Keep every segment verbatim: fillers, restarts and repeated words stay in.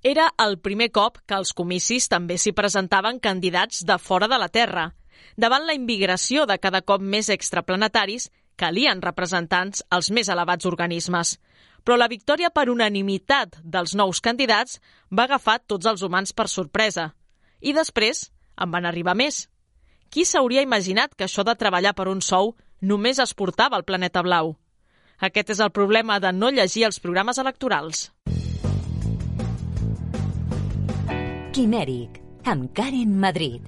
Era el primer cop que als comicis també s'hi presentaven candidats de fora de la Terra. Davant la immigració de cada cop més extraplanetaris, calien representants als més elevats organismes. Però la victòria per unanimitat dels nous candidats va agafar tots els humans per sorpresa. I després en van arribar més. Qui s'hauria imaginat que això de treballar per un sou només es portava al planeta blau? Aquest és el problema de no llegir els programes electorals. Quimèric, amb Karen Madrid.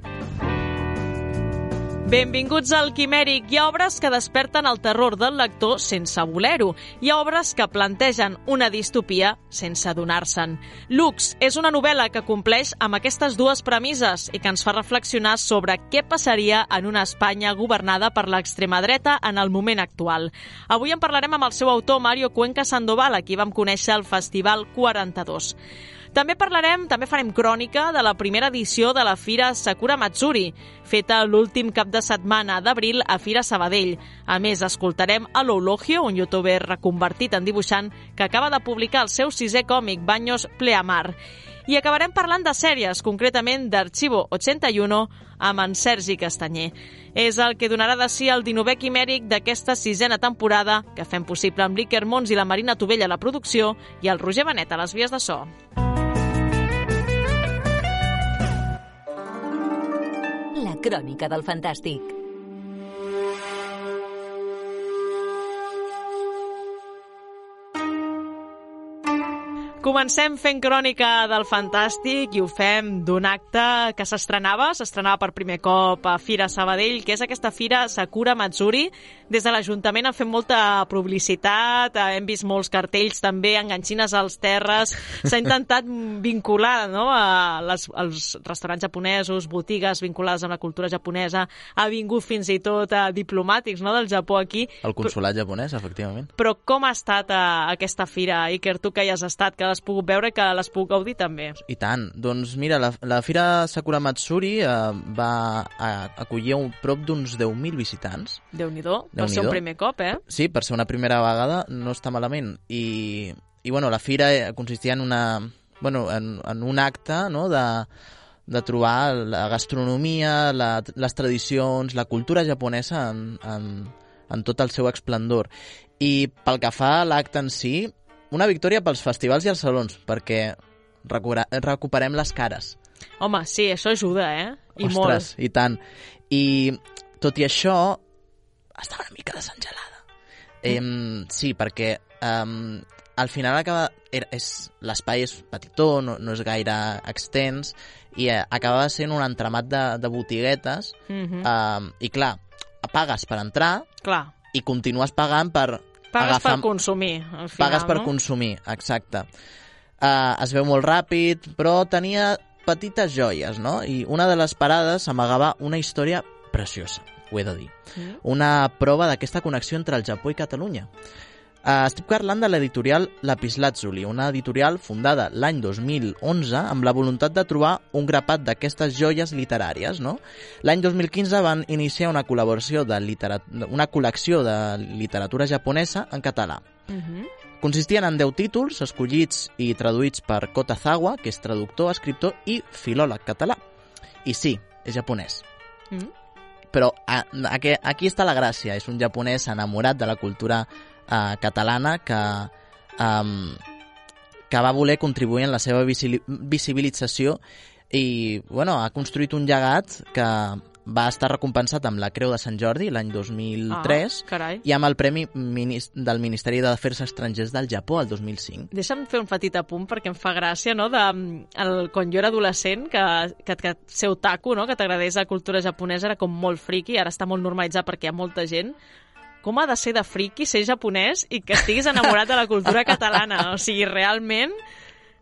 Benvinguts al Quimèric. Hi ha obres que desperten el terror del lector sense voler-ho. Hi ha obres que plantegen una distopia sense adonar-se'n. Lux és una novel·la que compleix amb aquestes dues premisses i que ens fa reflexionar sobre què passaria en una Espanya governada per l'extrema dreta en el moment actual. Avui en parlarem amb el seu autor, Mario Cuenca Sandoval, a qui vam conèixer al Festival quaranta-dos. També parlarem, també farem crònica de la primera edició de la Fira Sakura Matsuri, feta l'últim cap de setmana d'abril a Fira Sabadell. A més, escoltarem a l'Eulogio, un youtuber reconvertit en dibuixant que acaba de publicar el seu sisè còmic, Baños Pleamar. I acabarem parlant de sèries, concretament d'Archivo ochenta-uno, amb en Sergi Castanyer. És el que donarà de si el dinovè quimèric d'aquesta sisena temporada, que fem possible amb l'Iker Mons i la Marina Tovella a la producció i el Roger Benet a les vies de so. La crònica del fantàstic. Comencem fent crònica del fantàstic i ho fem d'un acte que s'estrenava, s'estrenava per primer cop a Fira Sabadell, que és aquesta Fira Sakura Matsuri. Des de l'Ajuntament han fet molta publicitat, hem vist molts cartells també, enganxines als terres. S'ha intentat vincular, no?, a les, als restaurants japonesos, botigues vinculades amb la cultura japonesa. Ha vingut fins i tot a diplomàtics, no?, del Japó aquí. El consolat japonès, efectivament. Però com ha estat a, aquesta fira, Iker, tu que hi has estat, que l'has pogut veure i que l'has pogut gaudir també? I tant. Doncs mira, la, la Fira Sakura Matsuri eh, va a, acollir un prop d'uns deu mil visitants. Déu-n'hi-do, per ser un primer cop, eh? Sí, per ser una primera vegada no està malament. I, i bueno, la fira consistia en, una, bueno, en, en un acte, no?, de, de trobar la gastronomia, la, les tradicions, la cultura japonesa en, en, en tot el seu esplendor. I pel que fa a l'acte en si, una victòria pels festivals i els salons, perquè recuperem les cares. Home, sí, això ajuda, eh? I Ostres, molt. I tant. I tot i això, estava una mica desengelada. Mm. Eh, sí, perquè eh, al final acaba... Era, és, l'espai és petitó, no, no és gaire extens, i eh, acabava sent un entramat de, de botiguetes, mm-hmm. eh, i clar, pagues per entrar, clar. I continues pagant per... Pagues agafar... per consumir, al final, Pagues per no? consumir, exacte. Uh, es veu molt ràpid, però tenia petites joies, no? I una de les parades amagava una història preciosa, ho he de dir. Mm. Una prova d'aquesta connexió entre el Japó i Catalunya. Uh, estic parlant de l'editorial Lapislázuli, una editorial fundada l'any dos mil onze amb la voluntat de trobar un grapat d'aquestes joies literàries, no? L'any dos mil quinze van iniciar una col·laboració de literat... una col·lecció de literatura japonesa en català. Uh-huh. Consistien en deu títols escollits i traduïts per Kota Zawa, que és traductor, escriptor i filòleg català. I sí, és japonès. Uh-huh. Però a, a, aquí està la gràcia, és un japonès enamorat de la cultura Uh, catalana que, um, que va voler contribuir en la seva visibilització i bueno, ha construït un llegat que va estar recompensat amb la Creu de Sant Jordi l'any dos mil tres ah, i amb el Premi Minist- del Ministeri d'Afers Estrangers del Japó el dos mil cinc. Deixa'm fer un petit apunt perquè em fa gràcia, no?, de, el, quan jo era adolescent, que, que, que ser otaku, no?, que t'agradés la cultura japonesa era com molt friki, ara està molt normalitzat perquè hi ha molta gent. Com ha de ser de friki ser japonès i que estiguis enamorat de la cultura catalana? O sigui, realment...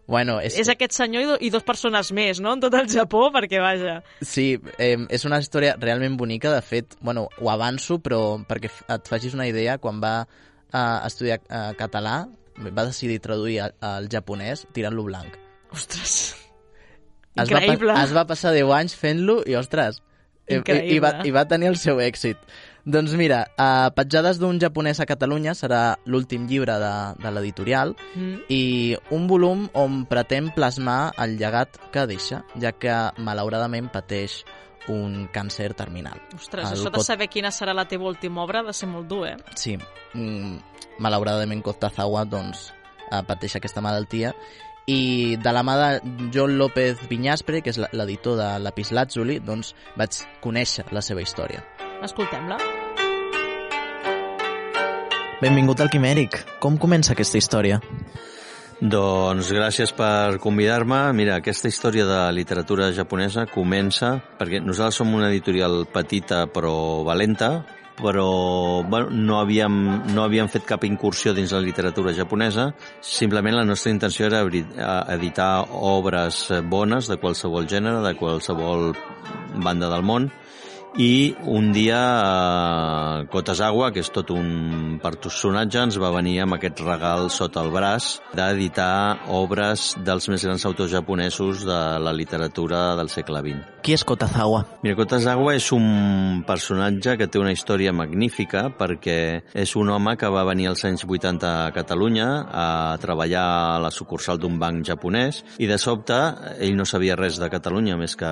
Bueno, és... és aquest senyor i, do, i dos persones més, no?, en tot el Japó, perquè vaja... Sí, eh, és una història realment bonica. De fet, bueno, ho avanço, però perquè et facis una idea, quan va eh, estudiar eh, català, va decidir traduir al, al japonès tirant-lo blanc. Ostres, es increïble. Va, es va passar deu anys fent-lo i, ostres, i, i, va, i va tenir el seu èxit. Doncs mira, uh, Petjades d'un japonès a Catalunya serà l'últim llibre de, de l'editorial mm. i un volum on pretén plasmar el llegat que deixa, ja que malauradament pateix un càncer terminal. Ostres, el això de saber quina serà la teva última obra ha de ser molt dur, eh? Sí, mm, malauradament Kotazawa doncs, uh, pateix aquesta malaltia i de la mà de John López Viñaspre, que és l'editor de Lapislázuli, doncs vaig conèixer la seva història. Escoltem-la. Benvingut al Quimèric. Com comença aquesta història? Doncs gràcies per convidar-me. Mira, aquesta història de literatura japonesa comença perquè nosaltres som una editorial petita però valenta, però bueno, no, havíem, no havíem fet cap incursió dins la literatura japonesa. Simplement la nostra intenció era editar obres bones de qualsevol gènere, de qualsevol banda del món. I un dia eh, Kotazawa, que és tot un personatge, ens va venir amb aquest regal sota el braç d'editar obres dels més grans autors japonesos de la literatura del segle vint. Qui és Kotazawa? Mira, Kotazawa és un personatge que té una història magnífica perquè és un home que va venir als anys vuitanta a Catalunya a treballar a la sucursal d'un banc japonès i de sobte ell no sabia res de Catalunya més que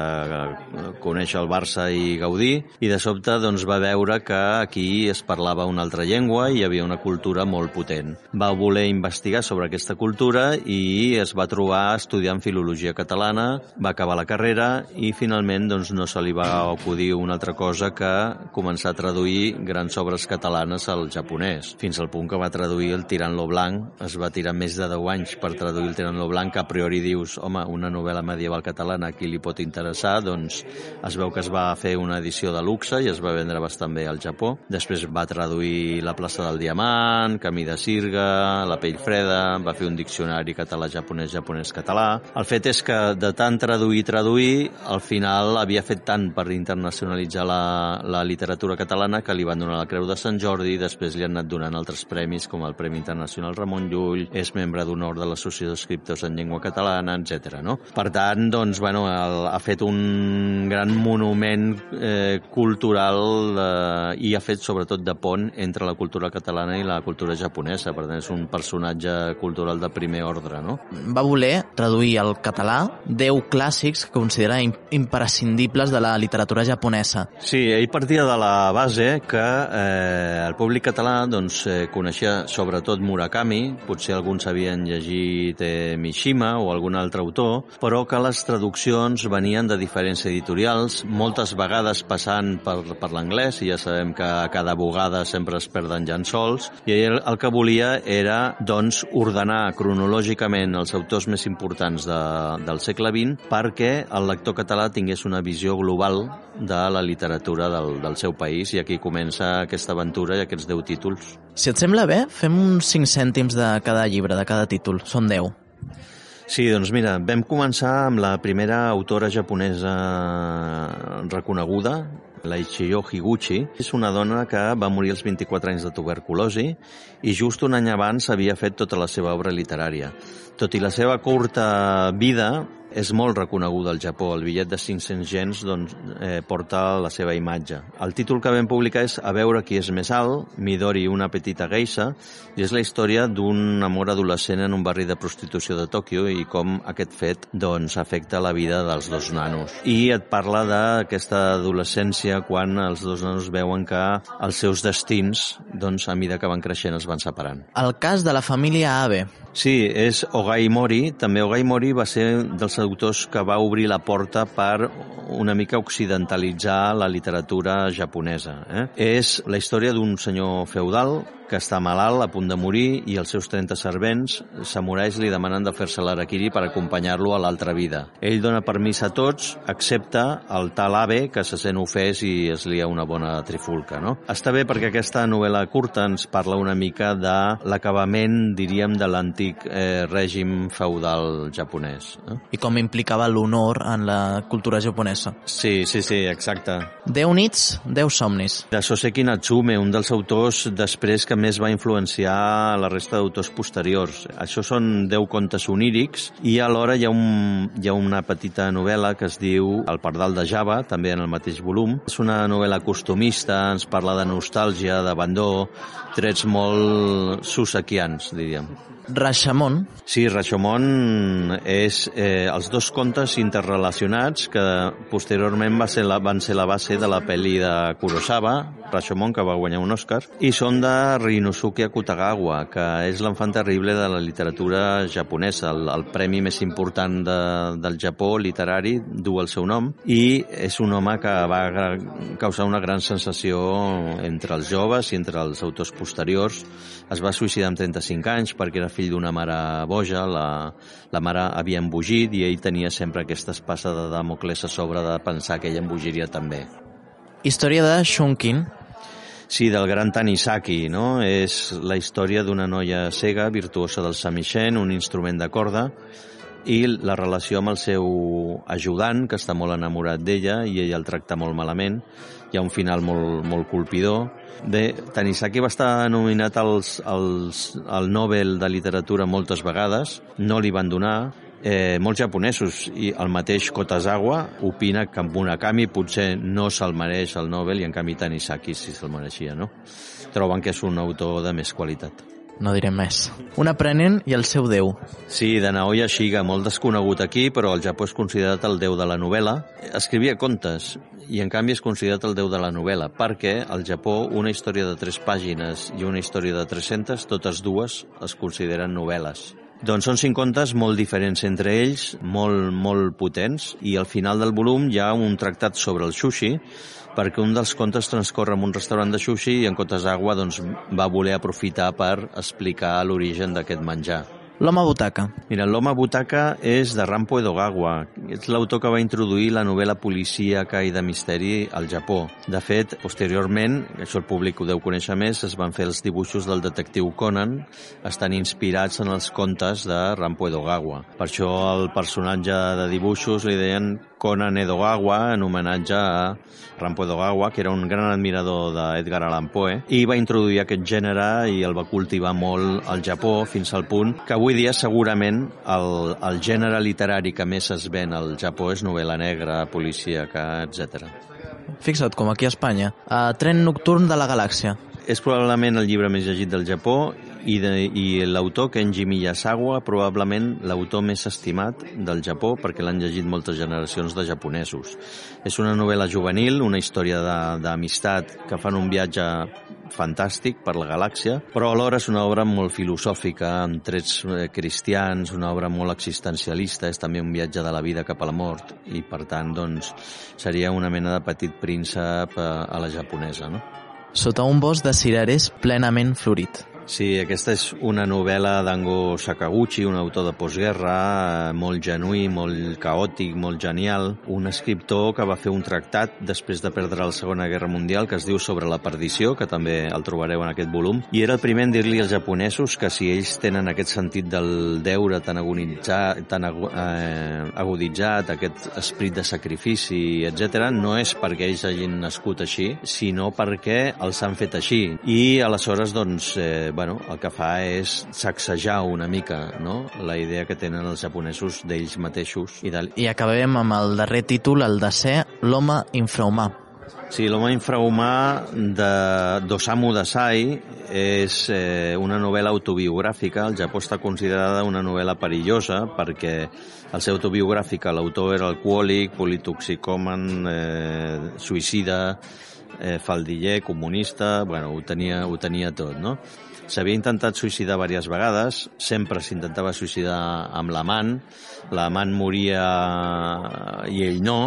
conèixer el Barça i Gaudí, i de sobte doncs, va veure que aquí es parlava una altra llengua i hi havia una cultura molt potent. Va voler investigar sobre aquesta cultura i es va trobar estudiant filologia catalana, va acabar la carrera i finalment doncs, no se li va acudir una altra cosa que començar a traduir grans obres catalanes al japonès, fins al punt que va traduir el Tirant lo Blanc. Es va tirar més de deu anys per traduir el Tirant lo Blanc, que a priori dius, home, una novel·la medieval catalana, a qui li pot interessar? Doncs es veu que es va fer una edició de luxe i es va vendre bastant bé al Japó. Després va traduir La plaça del Diamant, Camí de Sirga, La pell freda, va fer un diccionari català-japonès, japonès-català. El fet és que de tant traduir i traduir, al final havia fet tant per internacionalitzar la, la literatura catalana que li van donar la Creu de Sant Jordi i després li han anat donant altres premis com el Premi Internacional Ramon Llull, és membre d'honor de l'Associació d'Escriptors en Llengua Catalana, etcètera. No? Per tant, doncs, bueno, el, ha fet un gran monument eh, cultural eh, i ha fet sobretot de pont entre la cultura catalana i la cultura japonesa. Per tant, és un personatge cultural de primer ordre, no? Va voler traduir al català deu clàssics que considera imprescindibles de la literatura japonesa. Sí, ell partia de la base que eh, el públic català doncs, eh, coneixia sobretot Murakami, potser alguns havien llegit eh, Mishima o algun altre autor, però que les traduccions venien de diferents editorials, moltes vegades passant per, per l'anglès, i ja sabem que a cada bugada sempre es perden llençols, i ell el que volia era doncs, ordenar cronològicament els autors més importants de, del segle vint perquè el lector català tingués una visió global de la literatura del, del seu país, i aquí comença aquesta aventura i aquests deu títols. Si et sembla bé, fem uns cinc cèntims de cada llibre, de cada títol. Són deu. Sí, doncs mira, vam començar amb la primera autora japonesa reconeguda, la Ichiyo Higuchi. És una dona que va morir als vint-i-quatre anys de tuberculosi i just un any abans havia fet tota la seva obra literària. Tot i la seva curta vida, és molt reconeguda al Japó. El bitllet de cinc-cents yens doncs, eh, porta la seva imatge. El títol que vam publicar és A veure qui és més alt, Midori, una petita geisha, i és la història d'un amor adolescent en un barri de prostitució de Tòquio i com aquest fet doncs, afecta la vida dels dos nanos. I et parla d'aquesta adolescència quan els dos nanos veuen que els seus destins, doncs, a mida que van creixent, es van separant. El cas de la família Abe. Sí, és Ogai Mori. També Ogai Mori va ser dels autors que va obrir la porta per una mica occidentalitzar la literatura japonesa. Eh? És la història d'un senyor feudal que està malalt, a punt de morir, i els seus trenta servents, samurais, li demanen de fer-se l'harakiri per acompanyar-lo a l'altra vida. Ell dona permís a tots, excepte el tal Abe, que se sent ofès i es lia una bona trifulca. No? Està bé perquè aquesta novel·la curta ens parla una mica de l'acabament, diríem, de l'antic eh, règim feudal japonès. Eh? I com implicava l'honor en la cultura japonesa. Sí, sí, sí, exacte. Deu nits, deu somnis. De Soseki Natsume, un dels autors després que més va influenciar la resta d'autors posteriors. Això són deu contes onírics i alhora hi ha, un, hi ha una petita novel·la que es diu El pardal de Java, també en el mateix volum. És una novel·la costumista, ens parla de nostàlgia, d'abandó, trets molt susequians, diríem. Rashomon. Sí, Rashomon és eh, els dos contes interrelacionats que posteriorment va ser la, van ser la base de la pel·li de Kurosawa, Rashomon, que va guanyar un Oscar, i són de Ryunosuke Akutagawa, que és l'enfant terrible de la literatura japonesa, el, el premi més important de, del Japó literari, du el seu nom, i és un home que va causar una gran sensació entre els joves i entre els autors posteriors. Es va suïcidar amb trenta-cinc anys perquè era fill d'una mare boja, la, la mare havia embogit i ell tenia sempre aquesta espasa de Damocles a sobre de pensar que ella embogiria també. Història de Shunkin. Sí, del gran Tanisaki, no? És la història d'una noia cega, virtuosa del samishen, un instrument de corda, i la relació amb el seu ajudant, que està molt enamorat d'ella, i ella el tracta molt malament. Hi ha un final molt, molt colpidor. Bé, Tanisaki va estar nominat als, als, al Nobel de Literatura moltes vegades, no li van donar. Eh, molts japonesos i el mateix Kotazawa opina que Murakami potser no se'l mereix el Nobel i en canvi Tanisaki sí se'l mereixia, no? Troben que és un autor de més qualitat. No direm més. Un aprenent i el seu déu. Sí, de Naoya Shiga, molt desconegut aquí, però al Japó és considerat el déu de la novel·la. Escrivia contes i en canvi és considerat el déu de la novel·la, perquè al Japó una història de tres pàgines i una història de tres-centes, totes dues es consideren novel·les. Doncs són cinc contes molt diferents entre ells, molt, molt potents, i al final del volum hi ha un tractat sobre el sushi, perquè un dels contes transcorre en un restaurant de sushi i en Kotazawa doncs, va voler aprofitar per explicar l'origen d'aquest menjar. L'home butaca. Mira, l'home butaca és de Rampo Edogawa. És l'autor que va introduir la novel·la policíaca i de misteri al Japó. De fet, posteriorment, això el públic ho deu conèixer més, es van fer els dibuixos del detectiu Conan, estan inspirats en els contes de Rampo Edogawa. Per això el personatge de dibuixos li deien Conan Edogawa, en homenatge a Rampo Edogawa, que era un gran admirador d'Edgar Allan Poe, i va introduir aquest gènere i el va cultivar molt al Japó, fins al punt que avui dia segurament el, el gènere literari que més es ven al Japó és novel·la negra, policíaca, etcètera. Fixa't, com aquí a Espanya. Uh, Tren nocturn de la galàxia. És probablement el llibre més llegit del Japó i, de, i l'autor, Kenji Miyazawa, probablement l'autor més estimat del Japó perquè l'han llegit moltes generacions de japonesos. És una novel·la juvenil, una història d'amistat que fan un viatge fantàstic per la galàxia, però alhora és una obra molt filosòfica, amb trets cristians, una obra molt existencialista, és també un viatge de la vida cap a la mort i, per tant, doncs, seria una mena de petit príncep a la japonesa, no? Sota un bosc de cirerers plenament florit. Sí, aquesta és una novel·la d'Ango Sakaguchi, un autor de postguerra, molt genuí, molt caòtic, molt genial, un escriptor que va fer un tractat després de perdre la Segona Guerra Mundial que es diu Sobre la perdició, que també el trobareu en aquest volum, i era el primer en dir-li als japonesos que si ells tenen aquest sentit del deure tan agonitzat, tan eh, aguditzat, aquest esperit de sacrifici, etcètera, no és perquè ells hagin nascut així, sinó perquè els han fet així. I aleshores, doncs, eh, bueno, el que fa és sacsejar una mica, no?, la idea que tenen els japonesos d'ells mateixos. I, de... I acabem amb el darrer títol, el desè, L'home infrahumà. Sí, L'home infrahumà de d'Osamu Dazai és eh, una novel·la autobiogràfica. Al Japó està considerada una novel·la perillosa perquè al ser autobiogràfica l'autor era alcohòlic, politoxicòman, eh, suïcida, eh, faldiller, comunista, bueno, ho tenia, ho tenia tot, no? S'havia intentat suïcidar diverses vegades, sempre s'intentava suïcidar amb l'amant, l'amant moria i ell no.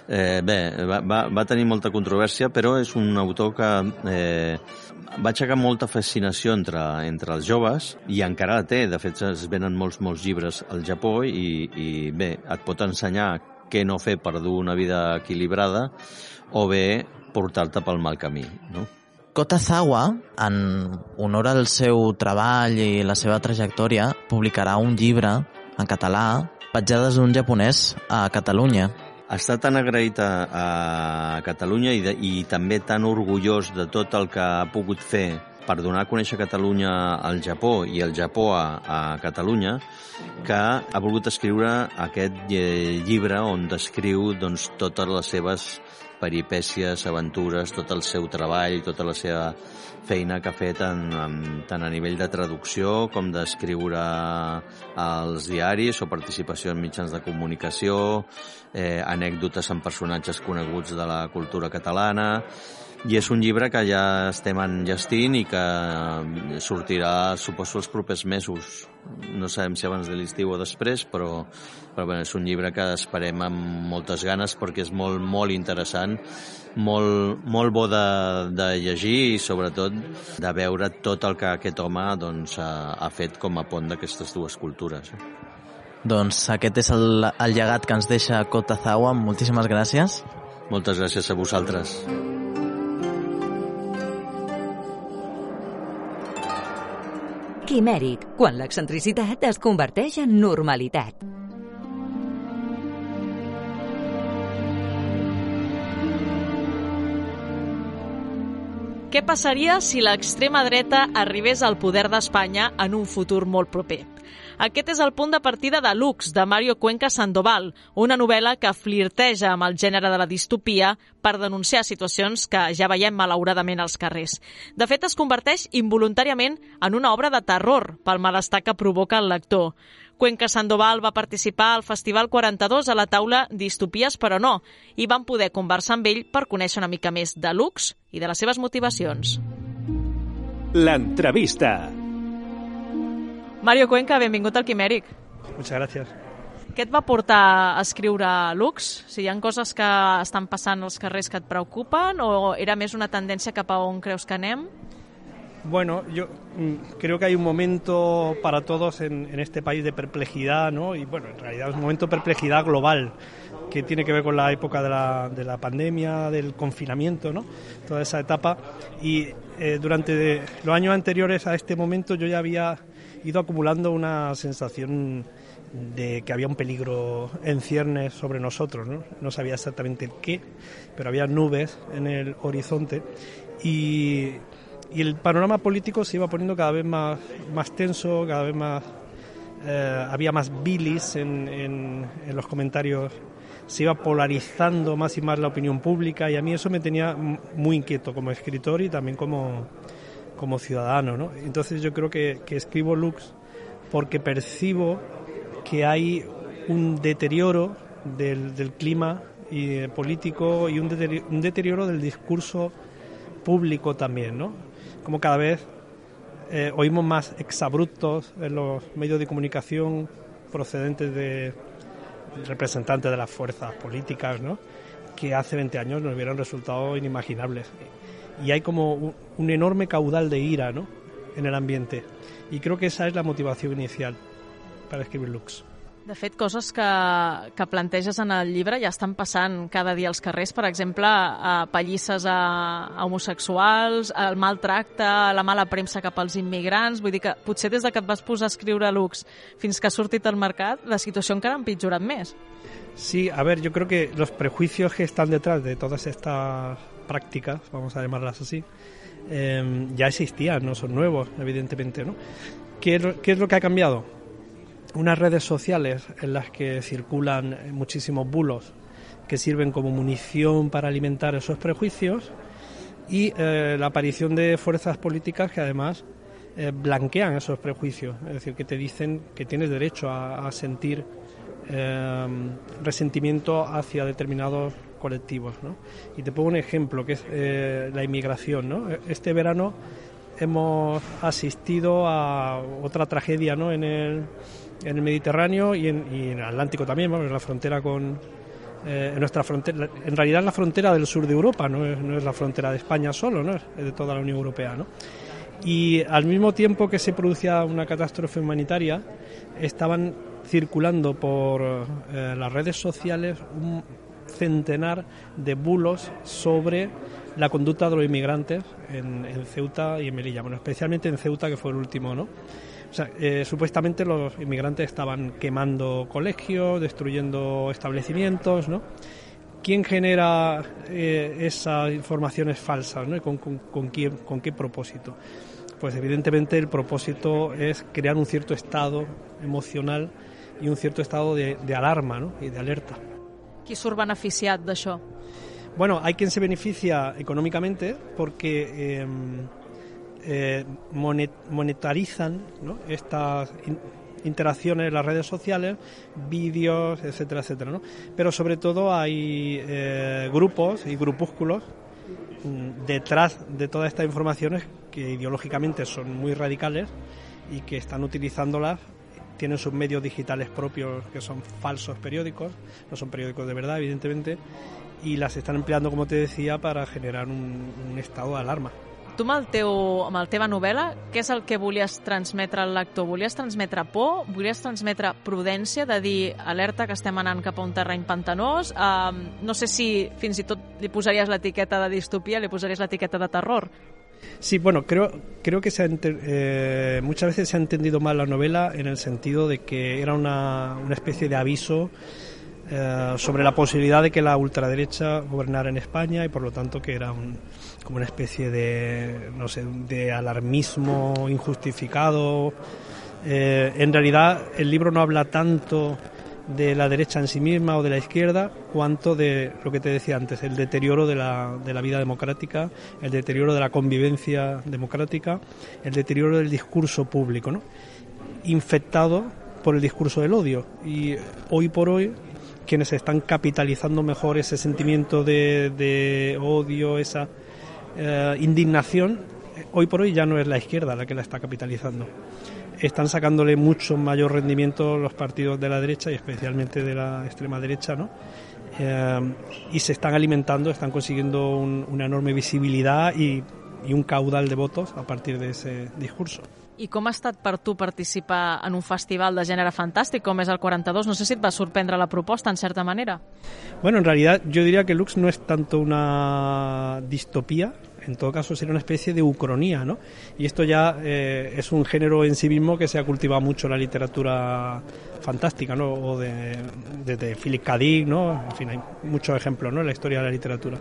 Eh, bé, va, va, va tenir molta controvèrsia, però és un autor que eh, va aixecar molta fascinació entre, entre els joves i encara la té. De fet, es venen molts, molts llibres al Japó i, i bé, et pot ensenyar què no fer per dur una vida equilibrada o bé portar-te pel mal camí, no? Kotazawa, en honor al seu treball i la seva trajectòria, publicarà un llibre en català, Petjades d'un japonès a Catalunya. Està tan agraït a, a Catalunya i, de, i també tan orgullós de tot el que ha pogut fer per donar a conèixer Catalunya al Japó i el Japó a, a Catalunya, que ha volgut escriure aquest llibre on descriu doncs, totes les seves peripècies, aventures, tot el seu treball, tota la seva feina que ha fet en, en, tant a nivell de traducció com d'escriure als diaris o participació en mitjans de comunicació, eh, anècdotes amb personatges coneguts de la cultura catalana. I és un llibre que ja estem enllestint i que sortirà, suposo, els propers mesos. No sabem si abans de l'estiu o després, però, però bé, és un llibre que esperem amb moltes ganes perquè és molt, molt interessant, molt, molt bo de, de llegir i sobretot de veure tot el que aquest home doncs, ha, ha fet com a pont d'aquestes dues cultures. Doncs aquest és el, el llegat que ens deixa Kota Zawa. Moltíssimes gràcies. Moltes gràcies a vosaltres. Quimèric, quan l'excentricitat es converteix en normalitat. Què passaria si l'extrema dreta arribés al poder d'Espanya en un futur molt proper? Aquest és el punt de partida de Lux, de Mario Cuenca Sandoval, una novel·la que flirteja amb el gènere de la distopia per denunciar situacions que ja veiem malauradament als carrers. De fet, es converteix involuntàriament en una obra de terror pel malestar que provoca el lector. Cuenca Sandoval va participar al Festival quaranta-dos a la taula Distopies però no, i vam poder conversar amb ell per conèixer una mica més de Lux i de les seves motivacions. L'entrevista. Mario Cuenca, benvingut al Quimèric. Muchas gracias. Què et va portar a escriure Lux? Si hi ha coses que estan passant als carrers que et preocupen o era més una tendència cap a on creus que anem? Bueno, yo mm, creo que hay un momento para todos en, en este país de perplejidad, ¿no? Y bueno, en realidad es un momento de perplejidad global que tiene que ver con la época de la, de la pandemia, del confinamiento, ¿no? Toda esa etapa. Y eh, durante de, los años anteriores a este momento yo ya había ido acumulando una sensación de que había un peligro en ciernes sobre nosotros, ¿no? No sabía exactamente el qué, pero había nubes en el horizonte y... Y el panorama político se iba poniendo cada vez más, más tenso, cada vez más... Eh, había más bilis en, en, en los comentarios, se iba polarizando más y más la opinión pública y a mí eso me tenía muy inquieto como escritor y también como, como ciudadano, ¿no? Entonces yo creo que, que escribo Lux porque percibo que hay un deterioro del, del clima y, político y un deterioro, un deterioro del discurso público también, ¿no? Como cada vez eh, oímos más exabruptos en los medios de comunicación procedentes de representantes de las fuerzas políticas, ¿no? Que hace veinte años nos hubieran resultado inimaginables. Y hay como un, un enorme caudal de ira, ¿no? En el ambiente. Y creo que esa es la motivación inicial para escribir Lux. De fet, coses que, que planteges en el llibre ja estan passant cada dia als carrers, per exemple, a pallisses a, a homosexuals, el maltracte, la mala premsa cap als immigrants. Vull dir que potser des de que et vas posar a escriure Lux fins que ha sortit al mercat, la situació encara ha empitjorat més. Sí, a ver, yo creo que los prejuicios que están detrás de todas estas prácticas, vamos a llamarlas así, eh, ya existían, no son nuevos, evidentemente, ¿no? ¿Qué es, qué es lo que ha cambiado? Unas redes sociales en las que circulan muchísimos bulos que sirven como munición para alimentar esos prejuicios y eh, la aparición de fuerzas políticas que además eh, blanquean esos prejuicios, es decir, que te dicen que tienes derecho a, a sentir eh, resentimiento hacia determinados colectivos, ¿no? Y te pongo un ejemplo que es eh, la inmigración, ¿no? Este verano hemos asistido a otra tragedia, ¿no? En el en el Mediterráneo y en, y en el Atlántico también, bueno, en la frontera con eh, en nuestra frontera, en realidad es la frontera del sur de Europa, no es, no es la frontera de España solo, no es de toda la Unión Europea, ¿no? Y al mismo tiempo que se producía una catástrofe humanitaria, estaban circulando por eh, las redes sociales un centenar de bulos sobre la conducta de los inmigrantes en, en Ceuta y en Melilla, bueno, especialmente en Ceuta, que fue el último, ¿no? O sea, eh, supuestamente los inmigrantes estaban quemando colegios, destruyendo establecimientos, ¿no? ¿Quién genera eh, esas informaciones falsas, ¿no? ¿Y con, con, con, quién, con qué propósito? pues evidentemente el propósito es crear un cierto estado emocional y un cierto estado de, de alarma, ¿no? Y de alerta. Qui surt beneficiat d'això? Bueno, hay quien se beneficia económicamente porque eh, eh, monet, monetarizan, ¿no? Estas in, interacciones en las redes sociales, vídeos, etcétera, etcétera, ¿no? Pero sobre todo hay eh, grupos y grupúsculos mm, detrás de todas estas informaciones que ideológicamente son muy radicales y que están utilizándolas. Tienen sus medios digitales propios que son falsos periódicos, no son periódicos de verdad, evidentemente, y las están empleando, como te decía, para generar un, un estado d'alarma. Tu amb, el teu, amb la teva novel·la, què és el que volies transmetre al lector? Volies transmetre por? Volies transmetre prudència, de dir alerta que estem anant cap a un terreny pantanós? Uh, no sé si fins i tot li posaries l'etiqueta de distopia, li posaries l'etiqueta de terror. Sí, bueno, creo, creo que se ha enter, eh, muchas veces se ha entendido mal la novela en el sentido de que era una, una especie de aviso eh, sobre la posibilidad de que la ultraderecha gobernara en España y por lo tanto que era un, como una especie de, no sé, de alarmismo injustificado. Eh, en realidad el libro no habla tanto de la derecha en sí misma o de la izquierda, cuanto de lo que te decía antes, el deterioro de la, de la vida democrática, el deterioro de la convivencia democrática, el deterioro del discurso público, ¿no? Infectado por el discurso del odio. Y hoy por hoy, quienes están capitalizando mejor ese sentimiento de, de odio, esa eh, indignación, hoy por hoy ya no es la izquierda la que la está capitalizando. Están sacándole mucho mayor rendimiento los partidos de la derecha y especialmente de la extrema derecha, ¿no? Eh, y se están alimentando, están consiguiendo un, una enorme visibilidad y, y un caudal de votos a partir de ese discurso. I com ha estat per tu participar en un festival de gènere fantàstic com és el quaranta-dos? No sé si et va sorprendre la proposta, en certa manera. Bueno, en realidad yo diría que Lux no es tanto una distopía, en todo caso sería una especie de ucronía, ¿no? Y esto ya eh, es un género en sí mismo que se ha cultivado mucho en la literatura fantástica, ¿no? O de, de, de Philip K. Dick, ¿no? En fin, hay muchos ejemplos, ¿no? En la historia de la literatura.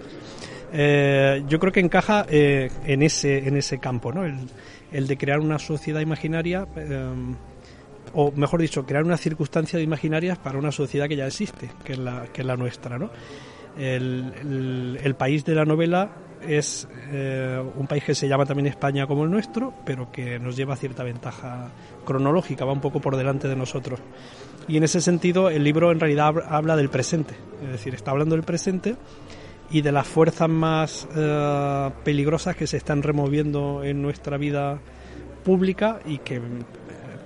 Eh, yo creo que encaja eh, en ese en ese campo, ¿no? El, el de crear una sociedad imaginaria, eh, o mejor dicho, crear unas circunstancias imaginarias para una sociedad que ya existe, que es la, que es la nuestra, ¿no? El, el, el país de la novela es eh, un país que se llama también España como el nuestro, pero que nos lleva cierta ventaja cronológica, va un poco por delante de nosotros. Y en ese sentido el libro en realidad habla del presente, es decir, está hablando del presente y de las fuerzas más eh, peligrosas que se están removiendo en nuestra vida pública y que eh,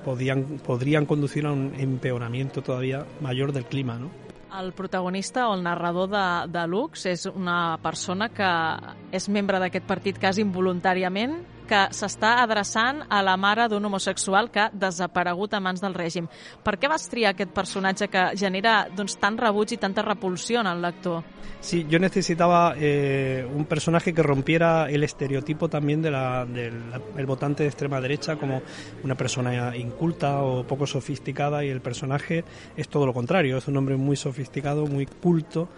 podían, podrían conducir a un empeoramiento todavía mayor del clima, ¿no? El protagonista o el narrador de, de Lux és una persona que és membre d'aquest partit quasi involuntàriament, que s'està adreçant a la mare d'un homosexual que ha desaparegut a mans del règim. Per què vas triar aquest personatge que genera doncs, tant rebuig i tanta repulsió en el lector? Sí, yo necesitaba eh, un personaje que rompiera el estereotipo también del de de votante de extrema derecha como una persona inculta o poco sofisticada, y el personaje es todo lo contrario, es un hombre muy sofisticado, muy culto,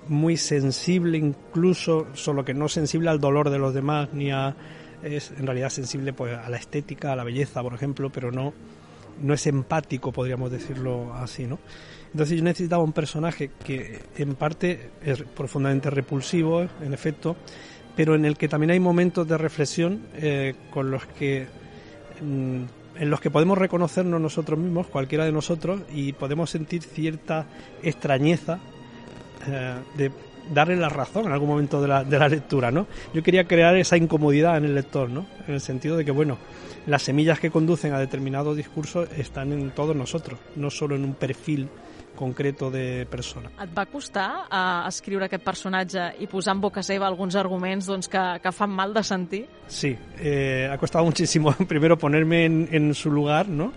muy sensible incluso, solo que no sensible al dolor de los demás, ni a es en realidad sensible pues a la estética, a la belleza, por ejemplo, pero no no es empático, podríamos decirlo así, ¿no? Entonces yo necesitaba un personaje que en parte es profundamente repulsivo, en efecto, pero en el que también hay momentos de reflexión eh, con los que mm, en los que podemos reconocernos nosotros mismos, cualquiera de nosotros, y podemos sentir cierta extrañeza eh, de darle la razón en algún momento de la, de la lectura, ¿no? Yo quería crear esa incomodidad en el lector, ¿no? En el sentido de que, bueno, las semillas que conducen a determinados discursos están en todos nosotros, no solo en un perfil concreto de persona. Et va costar uh, escriure aquest personatge i posar en boca seva alguns arguments doncs, que, que fan mal de sentir? Sí, eh, ha costado muchísimo primero ponerme en, en su lugar, ¿no?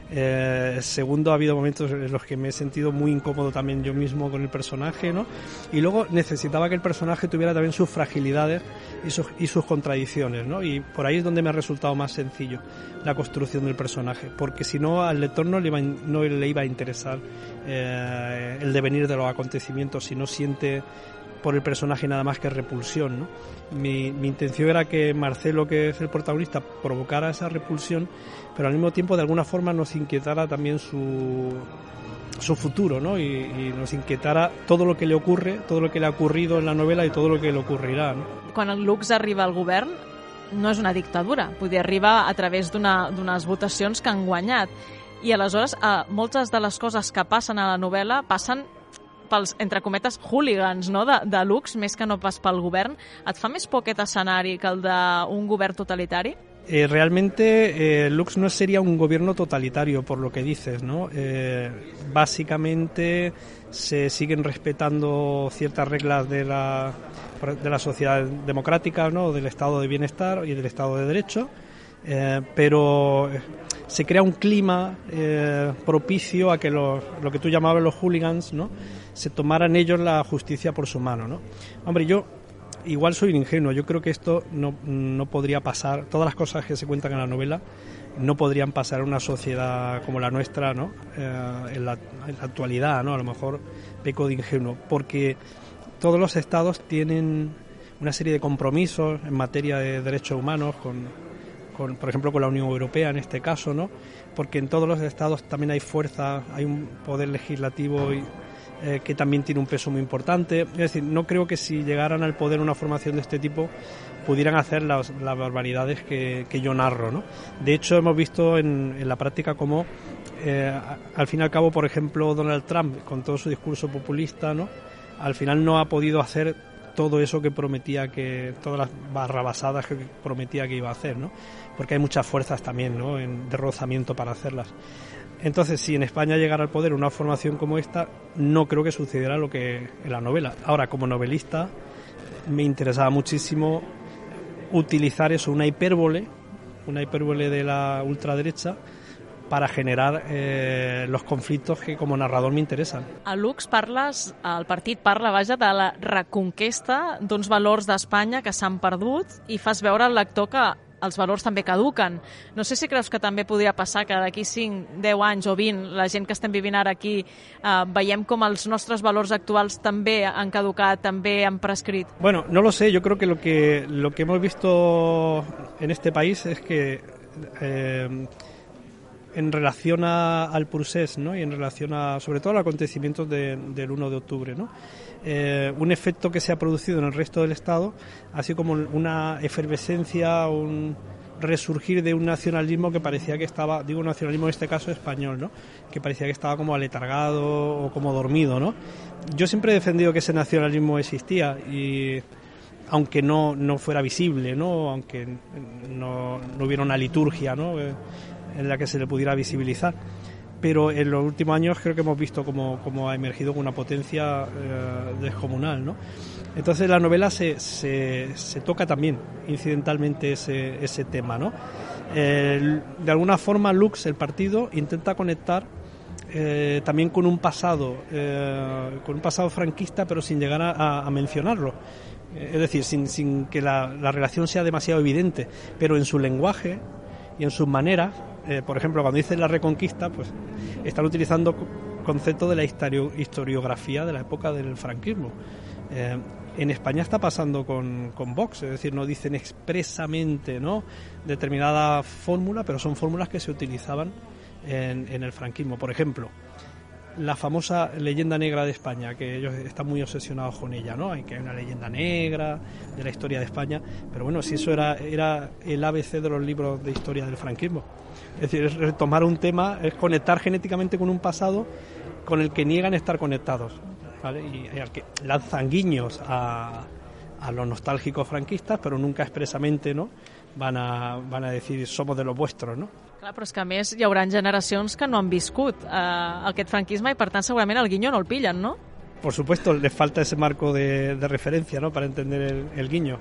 Eh, segundo, ha habido momentos en los que me he sentido muy incómodo también yo mismo con el personaje, ¿no? Y luego necesitaba que el personaje tuviera también sus fragilidades y sus, y sus contradicciones, ¿no? Y por ahí es donde me ha resultado más sencillo la construcción del personaje, porque si no al lector no le iba, no le iba a interesar eh, el devenir de los acontecimientos y no siente por el personaje nada más que repulsión, ¿no? Mi, mi intención era que Marcelo, que es el protagonista, provocara esa repulsión, pero al mismo tiempo de alguna forma nos inquietara también su, su futuro, ¿no? Y, y nos inquietara todo lo que le ocurre, todo lo que le ha ocurrido en la novela y todo lo que le ocurrirà, no? Quan el Lux arriba al govern no és una dictadura, vull dir, arriba a través d'una, d'unes votacions que han guanyat. I aleshores eh, moltes de les coses que passen a la novel·la passen pels, entre cometes, hooligans, no? de, de Lux, més que no pas pel govern. Et fa més por aquest escenari que el d'un govern totalitari? Eh, realmente eh, Lux no sería un gobierno totalitario, por lo que dices, ¿no? Eh, básicamente se siguen respetando ciertas reglas de la, de la sociedad democrática, ¿no? Del estado de bienestar y del estado de derecho, eh, pero se crea un clima eh, propicio a que los, lo que tú llamabas los hooligans, ¿no? Se tomaran ellos la justicia por su mano, ¿no? Hombre, yo igual soy un ingenuo, yo creo que esto no, no podría pasar, todas las cosas que se cuentan en la novela no podrían pasar en una sociedad como la nuestra, ¿no? Eh, en, la, en la actualidad, ¿no? A lo mejor peco de ingenuo, porque todos los estados tienen una serie de compromisos en materia de derechos humanos, con, con, por ejemplo, con la Unión Europea en este caso, ¿no? Porque en todos los estados también hay fuerza, hay un poder legislativo y Eh, que también tiene un peso muy importante. Es decir, no creo que si llegaran al poder una formación de este tipo pudieran hacer las, las barbaridades que, que yo narro, ¿no? De hecho, hemos visto en, en la práctica cómo, eh, al fin y al cabo, por ejemplo, Donald Trump, con todo su discurso populista, ¿no? Al final no ha podido hacer todo eso que prometía, que todas las barrabasadas que prometía que iba a hacer, ¿no? Porque hay muchas fuerzas también, ¿no? En, de rozamiento para hacerlas. Entonces, si en España llegara al poder una formación como esta, no creo que sucediera lo que en la novela. Ahora, como novelista, me interesaba muchísimo utilizar eso, una hipérbole, una hipérbole de la ultraderecha, para generar eh, los conflictos que como narrador me interesan. A Lux parles, el partit parla, vaja, de la reconquesta d'uns valors d'Espanya que s'han perdut i fas veure al lector que els valors també caduquen. No sé si creus que també podria passar que d'aquí cinc, deu anys o vint, la gent que estem vivint ara aquí, eh, veiem com els nostres valors actuals també han caducat, també han prescrit. Bueno, no lo sé, yo creo que lo que, lo que hemos visto en este país es que eh, en relación a, al procés, ¿no? Y en relación a, sobre todo, a los acontecimientos de, del uno de octubre, ¿no? Eh, un efecto que se ha producido en el resto del Estado ha sido como una efervescencia, un resurgir de un nacionalismo que parecía que estaba, digo nacionalismo en este caso español, ¿no? Que parecía que estaba como aletargado o como dormido, ¿no? Yo siempre he defendido que ese nacionalismo existía y aunque no, no fuera visible, ¿no? Aunque no, no hubiera una liturgia, ¿no? Eh, en la que se le pudiera visibilizar. Pero en los últimos años creo que hemos visto cómo, cómo ha emergido con una potencia eh, descomunal, ¿no? Entonces la novela se, se, se toca también incidentalmente ese, ese tema, ¿no? Eh, de alguna forma Lux, el partido, intenta conectar eh, también con un pasado, eh, con un pasado franquista, pero sin llegar a, a mencionarlo. Eh, es decir, sin, sin que la, la relación sea demasiado evidente, pero en su lenguaje y en sus maneras. Eh, por ejemplo, cuando dicen la reconquista, pues están utilizando conceptos de la historio, historiografía de la época del franquismo. Eh, en España está pasando con, con Vox, es decir, no dicen expresamente, ¿no?, determinada fórmula, pero son fórmulas que se utilizaban en, en el franquismo. Por ejemplo, la famosa leyenda negra de España, que ellos están muy obsesionados con ella, ¿no? Hay que hay una leyenda negra de la historia de España, pero bueno, si eso era, era el A B C de los libros de historia del franquismo. Es decir, es retomar un tema, es conectar genéticamente con un pasado con el que niegan estar conectados, ¿vale? Y, y al que lanzan guiños a, a los nostálgicos franquistas, pero nunca expresamente, ¿no?, van a, van a decir somos de los vuestros, ¿no? Clar, però és que a més hi haurà generacions que no han viscut eh, aquest franquisme i per tant segurament el guinyo no el pillen, no? Por supuesto, les falta ese marco de, de referencia, ¿no?, para entender el, el guiño.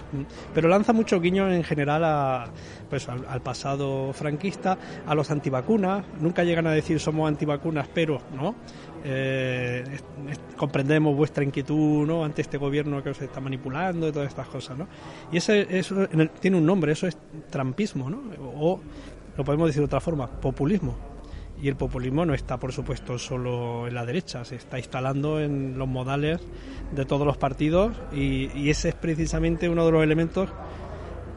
Pero lanza mucho guiño en general a, pues, al, al pasado franquista, a los antivacunas. Nunca llegan a decir somos antivacunas, pero no eh, es, es, comprendemos vuestra inquietud, ¿no?, ante este gobierno que os está manipulando y todas estas cosas, ¿no? Y ese, eso en el, tiene un nombre, eso es trumpismo, ¿no? O lo podemos decir de otra forma, populismo. Y el populismo no está, por supuesto, solo en la derecha, se está instalando en los modales de todos los partidos y, y ese es precisamente uno de los elementos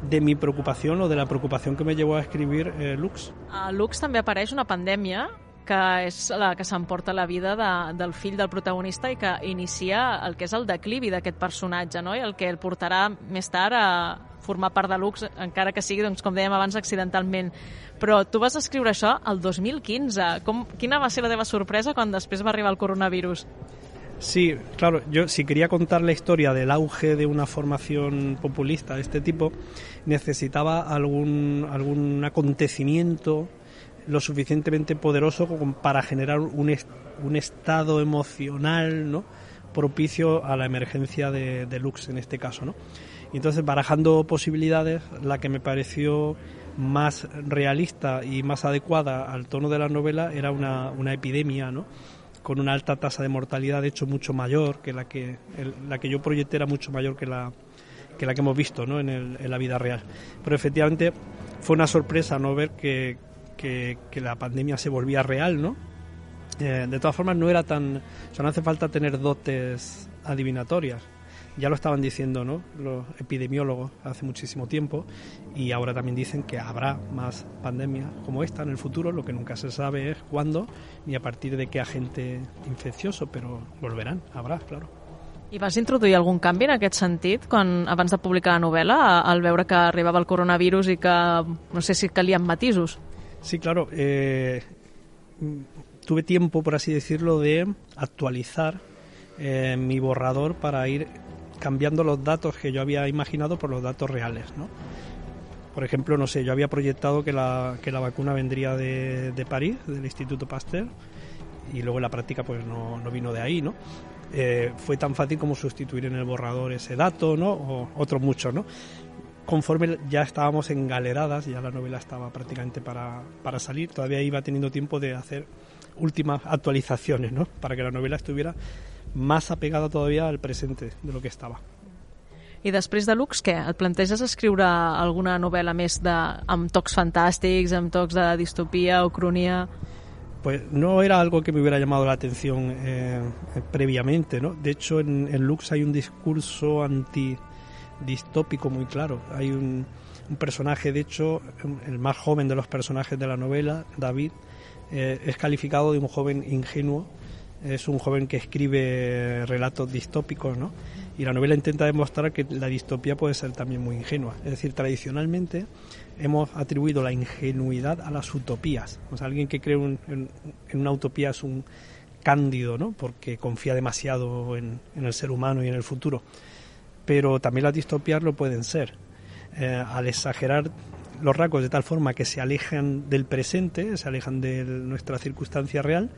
de mi preocupación o de la preocupación que me llevó a escribir eh, Lux. A Lux també apareix una pandèmia que és la que s'emporta la vida de, del fill del protagonista i que inicia el que és el declivi d'aquest personatge, no? I el que el portarà més tard a formar part de Lux, encara que sigui, doncs, com dèiem abans, accidentalment. Però tu vas escriure això el dos mil quinze. Com, quina va ser la teva sorpresa quan després va arribar el coronavirus? Sí, claro, yo si quería contar la historia del auge de una formación populista de este tipo, necesitaba algún, algún acontecimiento lo suficientemente poderoso como para generar un, est- un estado emocional, ¿no?, propicio a la emergencia de, de Lux en este caso, ¿no? Y entonces, barajando posibilidades, la que me pareció más realista y más adecuada al tono de la novela era una, una epidemia, ¿no?, con una alta tasa de mortalidad, de hecho mucho mayor que la que el, la que yo proyecté, era mucho mayor que la que la que hemos visto, ¿no?, en, el, en la vida real. Pero efectivamente fue una sorpresa no ver que, que, que la pandemia se volvía real, ¿no? Eh, de todas formas no era tan, o sea, no hace falta tener dotes adivinatorias. Ya lo estaban diciendo, ¿no?, los epidemiólogos hace muchísimo tiempo, y ahora también dicen que habrá más pandemias como esta en el futuro. Lo que nunca se sabe es cuándo ni a partir de qué agente infeccioso, però volveran, habrá, claro. I vas introduir algun canvi en aquest sentit quan, abans de publicar la novel·la, al veure que arribava el coronavirus i que, no sé si calien matisos? Sí, claro. Eh, tuve tiempo, por así decirlo, de actualizar eh, mi borrador para ir cambiando los datos que yo había imaginado por los datos reales, ¿no? Por ejemplo, no sé, yo había proyectado que la, que la vacuna vendría de, de París, del Instituto Pasteur, y luego en la práctica pues no, no vino de ahí, ¿no? Eh, fue tan fácil como sustituir en el borrador ese dato, ¿no?, o otros muchos, ¿no? Conforme ya estábamos engaleradas, ya la novela estaba prácticamente para, para salir, todavía iba teniendo tiempo de hacer últimas actualizaciones, ¿no?, para que la novela estuviera más apegada todavía al presente de lo que estava. I després de Lux, què? Et planteges escriure alguna novel·la més de, amb tocs fantàstics, amb tocs de distopia o cronia? Pues no era algo que me hubiera llamado la atención eh, previamente, ¿no? De hecho, en, en Lux hay un discurso antidistópico muy claro. Hay un, un personaje, de hecho, el más joven de los personajes de la novela, David, eh, es calificado de un joven ingenuo. Es un joven que escribe relatos distópicos, ¿no? Y la novela intenta demostrar que la distopía puede ser también muy ingenua. Es decir, tradicionalmente hemos atribuido la ingenuidad a las utopías. O sea, alguien que cree un, en, en una utopía es un cándido, ¿no?, porque confía demasiado en, en el ser humano y en el futuro. Pero también las distopías lo pueden ser. Eh, al exagerar los rasgos de tal forma que se alejan del presente, se alejan de nuestra circunstancia real,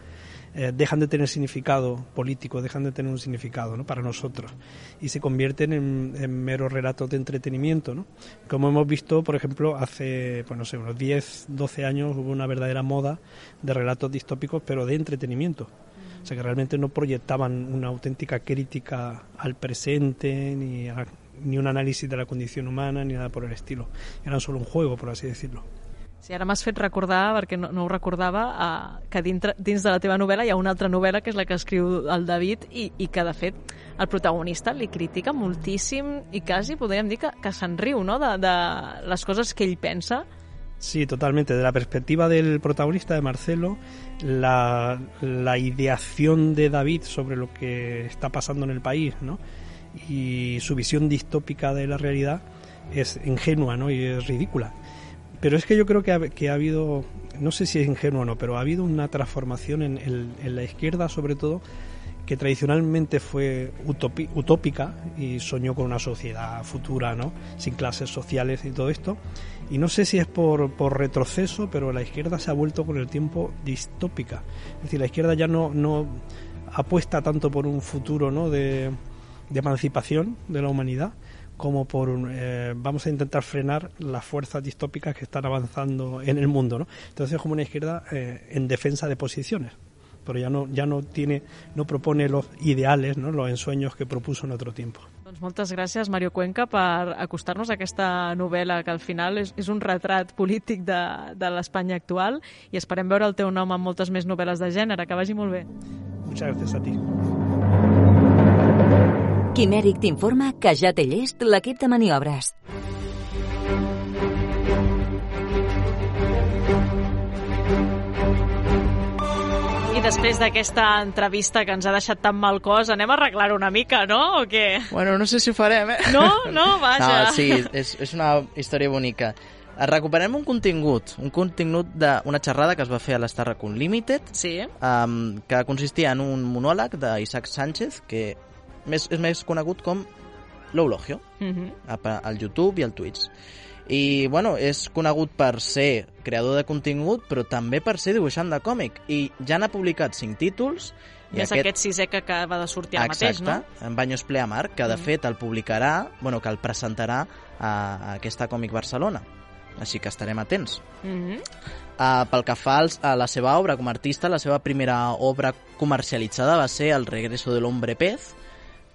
Eh, dejan de tener significado político, dejan de tener un significado, ¿no?, para nosotros, y se convierten en, en meros relatos de entretenimiento, ¿no? Como hemos visto, por ejemplo, hace, pues no sé, unos diez, doce años hubo una verdadera moda de relatos distópicos, pero de entretenimiento. O sea, que realmente no proyectaban una auténtica crítica al presente, ni, a, ni un análisis de la condición humana, ni nada por el estilo. Eran solo un juego, por así decirlo. Sí, ara m'has fet recordar, perquè no, no ho recordava, eh, que dintre, dins de la teva novel·la hi ha una altra novel·la, que és la que escriu el David, i, i que, de fet, el protagonista li critica moltíssim i quasi podríem dir que, que se'n riu, no?, de, de les coses que ell pensa. Sí, totalmente. De la perspectiva del protagonista, de Marcelo, la, la ideación de David sobre lo que está pasando en el país, ¿no?, y su visión distópica de la realidad es ingenua, ¿no?, y es ridícula. Pero es que yo creo que ha, que ha habido, no sé si es ingenuo o no, pero ha habido una transformación en, en, en la izquierda, sobre todo, que tradicionalmente fue utopi, utópica y soñó con una sociedad futura, ¿no?, sin clases sociales y todo esto. Y no sé si es por, por retroceso, pero la izquierda se ha vuelto con el tiempo distópica. Es decir, la izquierda ya no, no apuesta tanto por un futuro, ¿no?, de, de emancipación de la humanidad, como por eh, vamos a intentar frenar las fuerzas distópicas que están avanzando en el mundo, ¿no? Entonces es como una izquierda eh, en defensa de posiciones, pero ya no ya no tiene no propone los ideales, ¿no?, los ensueños que propuso en otro tiempo. Doncs Doncs moltes gràcies, Mario Cuenca, per acostar-nos a aquesta novel·la que al final és, és un retrat polític de, de l'Espanya actual, i esperem veure el teu nom en moltes més novel·les de gènere. Que vagi molt bé. Muchas gracias a ti. Quimèric t'informa que ja té llest l'equip de maniobres. I després d'aquesta entrevista que ens ha deixat tan mal cos, anem a arreglar una mica, no? O què? Bueno, no sé si ho farem, eh? No? No? Vaja. No, sí, és, és una història bonica. Recuperem un contingut, un contingut d'una xerrada que es va fer a l'Starrac Unlimited, Sí. um, que consistia en un monòleg d'Isaac Sánchez, que més, és més conegut com l'Eulogio, Uh-huh. al YouTube i al Twitch. I, bueno, és conegut per ser creador de contingut, però també per ser dibuixant de còmic. I ja n'ha publicat cinc títols. I I és aquest... aquest sisè que acaba de sortir ara mateix, no? Exacte, en Baños Pleamar, que de Mm. fet el publicarà, bueno, que el presentarà a, a aquesta Còmic Barcelona. Així que estarem atents. Uh-huh. Uh, pel que fa als, a la seva obra com a artista, la seva primera obra comercialitzada va ser El regreso del hombre pez,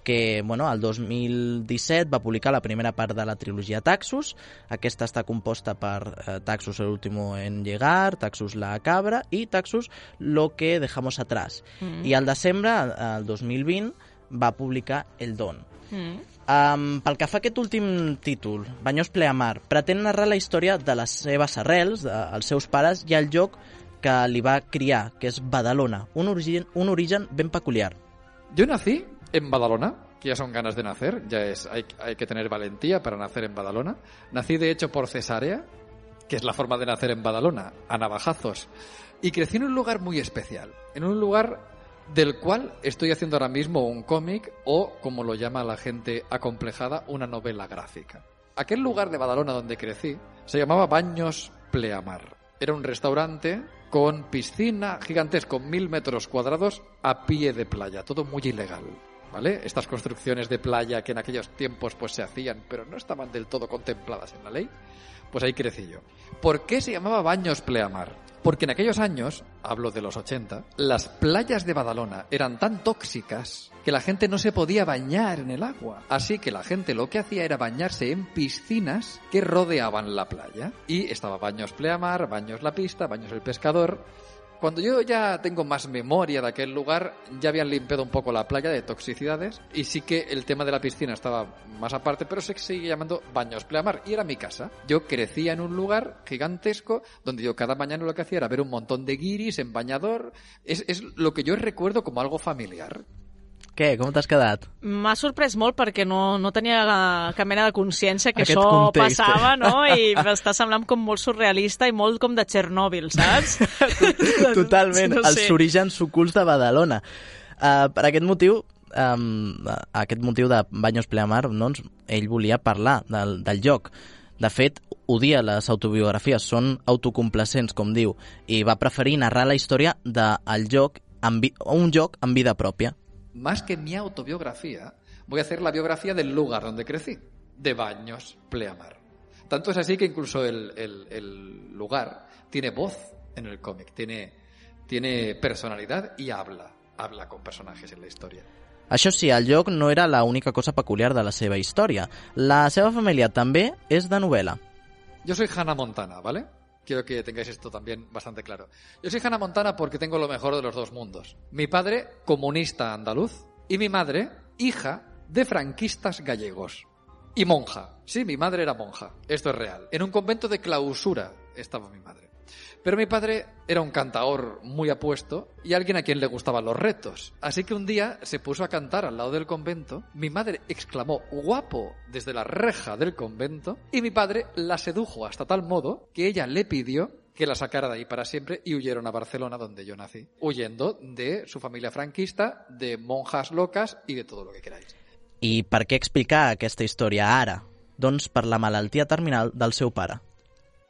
que bueno, el dos mil disset va publicar la primera part de la trilogia Taxus. Aquesta està composta per eh, Taxus el último en llegar, Taxus la cabra i Taxus lo que dejamos atrás. Mm. I al desembre, el dos mil vint, va publicar El Don. Mm. Um, pel que fa a aquest últim títol, Baños Pleamar, pretén narrar la història de les seves arrels, dels seus pares i el lloc que li va criar, que és Badalona, un origen, un origen ben peculiar. Yo nací en Badalona, que ya son ganas de nacer, ya es hay, hay que tener valentía para nacer en Badalona. Nací de hecho por cesárea, que es la forma de nacer en Badalona, a navajazos. Y crecí en un lugar muy especial, en un lugar del cual estoy haciendo ahora mismo un cómic o, como lo llama la gente acomplejada, una novela gráfica. Aquel lugar de Badalona donde crecí se llamaba Baños Pleamar. Era un restaurante con piscina gigantesco, mil metros cuadrados a pie de playa, todo muy ilegal, ¿vale? Estas construcciones de playa que en aquellos tiempos pues se hacían, pero no estaban del todo contempladas en la ley, pues ahí crecí yo. ¿Por qué se llamaba Baños Pleamar? Porque en aquellos años, hablo de los ochenta, las playas de Badalona eran tan tóxicas que la gente no se podía bañar en el agua. Así que la gente lo que hacía era bañarse en piscinas que rodeaban la playa. Y estaba Baños Pleamar, Baños La Pista, Baños El Pescador. Cuando yo ya tengo más memoria de aquel lugar, ya habían limpiado un poco la playa de toxicidades y sí que el tema de la piscina estaba más aparte, pero se sigue llamando Baños Pleamar y era mi casa. Yo crecía en un lugar gigantesco donde yo cada mañana lo que hacía era ver un montón de guiris en bañador. Es, es lo que yo recuerdo como algo familiar. Què? Com t'has quedat? M'ha sorprès molt perquè no, no tenia cap mena de consciència que Aquest això context. passava, no? I m'està semblant com molt surrealista i molt com de Txernòbil, saps? Totalment, No els sé. orígens ocults de Badalona. Uh, per aquest motiu, um, aquest motiu de Baños Pleamar, doncs, ell volia parlar del, del lloc. De fet, odia les autobiografies, són autocomplacents, com diu, i va preferir narrar la història del lloc, en vi- un lloc amb vida pròpia. Más que mi autobiografía, voy a hacer la biografía del lugar donde crecí, de Baños Pleamar. Tanto es así que incluso el, el, el lugar tiene voz en el cómic, tiene, tiene personalidad y habla, habla con personajes en la historia. Això sí, el lloc no era l'única cosa peculiar de la seva història. La seva família també és de novel·la. Yo soy Hannah Montana, ¿vale? Quiero que tengáis esto también bastante claro. Yo soy Hannah Montana porque tengo lo mejor de los dos mundos. Mi padre, comunista andaluz, y mi madre, hija de franquistas gallegos. Y monja. Sí, mi madre era monja. Esto es real. En un convento de clausura estaba mi madre. Pero mi padre era un cantaor muy apuesto y alguien a quien le gustaban los retos. Así que un día se puso a cantar al lado del convento. Mi madre exclamó "guapo" desde la reja del convento y mi padre la sedujo hasta tal modo que ella le pidió que la sacara de ahí para siempre y huyeron a Barcelona, donde yo nací, huyendo de su familia franquista, de monjas locas y de todo lo que queráis. I per què explicar aquesta història ara? Doncs per la malaltia terminal del seu pare.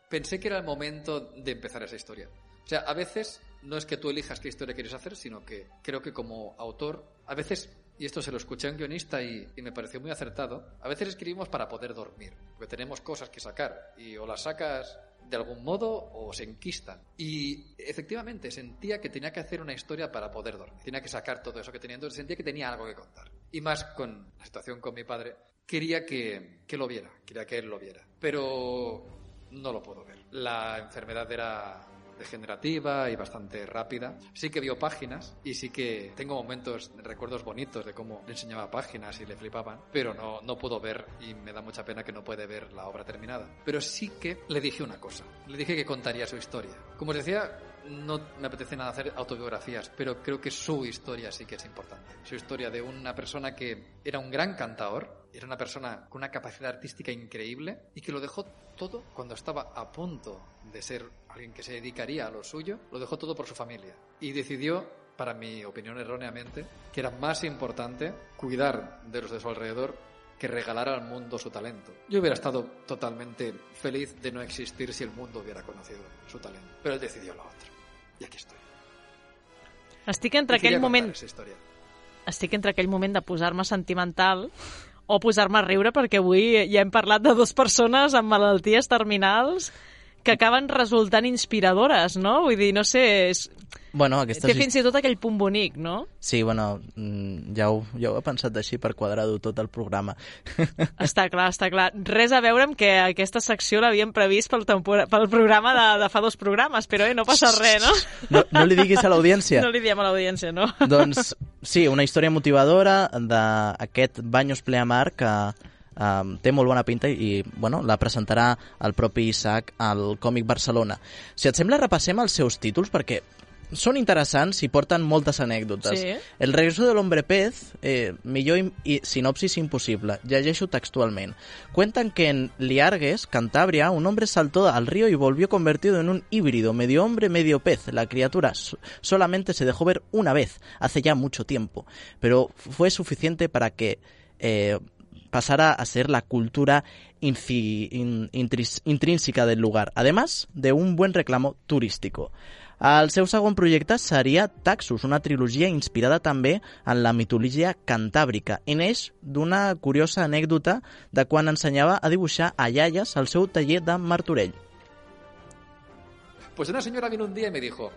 Pensé que era el momento de empezar esa historia. O sea, a veces no es que tú elijas qué historia quieres hacer, sino que creo que como autor, a veces, y esto se lo escuché a un guionista y, y me pareció muy acertado, a veces escribimos para poder dormir, porque tenemos cosas que sacar y o las sacas de algún modo o se enquistan. Y efectivamente sentía que tenía que hacer una historia para poder dormir. Tenía que sacar todo eso que tenía, entonces sentía que tenía algo que contar. y más con la situación con mi padre, quería que, que lo viera, quería que él lo viera, pero no lo puedo ver. La enfermedad era degenerativa y bastante rápida. Sí que vio páginas y sí que tengo momentos, recuerdos bonitos de cómo le enseñaba páginas y le flipaban, pero no, no puedo ver y me da mucha pena que no puede ver la obra terminada. Pero sí que le dije una cosa, le dije que contaría su historia. Como os decía, no me apetece nada hacer autobiografías, pero creo que su historia sí que es importante. Su historia de una persona que era un gran cantador, era una persona con una capacidad artística increíble y que lo dejó todo cuando estaba a punto de ser alguien que se dedicaría a lo suyo, lo dejó todo por su familia y decidió, para mi opinión erróneamente, que era más importante cuidar de los de su alrededor que regalar al mundo su talento. Yo hubiera estado totalmente feliz de no existir si el mundo hubiera conocido su talento, però él decidió lo otro. I aquí estoy. Estic entre aquell moment... Estic entre aquell moment de posar-me sentimental o posar-me a riure, perquè avui ja hem parlat de dues persones amb malalties terminals que acaben resultant inspiradores, no? Vull dir, no sé... És... Bueno, aquestes... Té fins i tot aquell punt bonic, no? Sí, bueno, ja ho, ja ho he pensat així per quadrar-ho tot el programa. Està clar, està clar. Res a veure amb que aquesta secció l'havíem previst pel, tempor... pel programa de, de fa dos programes, però eh, no passa res, no? No, no li diguis a l'audiència. No li diem a l'audiència, no? Doncs sí, una història motivadora d'aquest Baños Pleamar que Um, té molt bona pinta i bueno, la presentarà el propi Isaac al Còmic Barcelona. Si et sembla, repassem els seus títols perquè són interessants i porten moltes anècdotes. Sí. El regreso del hombre pez, eh, millor i, i sinopsis imposible. Llegeixo textualment. Cuentan que en Liargues, Cantabria, un hombre saltó al río y volvió convertido en un híbrido, medio hombre, medio pez. La criatura so- solamente se dejó ver una vez, hace ya mucho tiempo, pero fue suficiente para que eh, pasara a ser la cultura inci- in- intris- intrínseca del lugar, además de un buen reclamo turístico. El seu segon projecte seria Taxus, una trilogia inspirada també en la mitologia cantàbrica i neix d'una curiosa anècdota de quan ensenyava a dibuixar a iaies al seu taller de Martorell. Pues una señora vino un día y me dijo,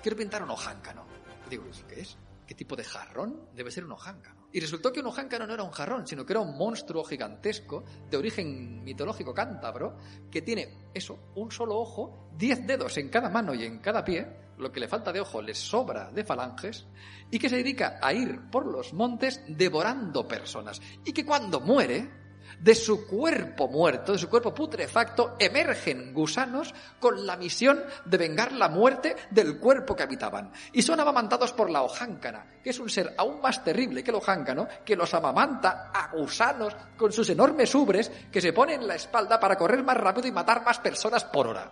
quiero pintar un ojáncano. Y digo, ¿eso qué es? ¿Qué tipo de jarrón? Debe ser un ojáncano. Y resultó que un ojáncano no era un jarrón, sino que era un monstruo gigantesco de origen mitológico cántabro que tiene, eso, un solo ojo, diez dedos en cada mano y en cada pie, lo que le falta de ojo le sobra de falanges, y que se dedica a ir por los montes devorando personas. Y que cuando muere, de su cuerpo muerto, de su cuerpo putrefacto, emergen gusanos con la misión de vengar la muerte del cuerpo que habitaban. Y son amamantados por la ojáncana, que es un ser aún más terrible que el ojáncano, que los amamanta a gusanos con sus enormes ubres que se ponen en la espalda para correr más rápido y matar más personas por hora.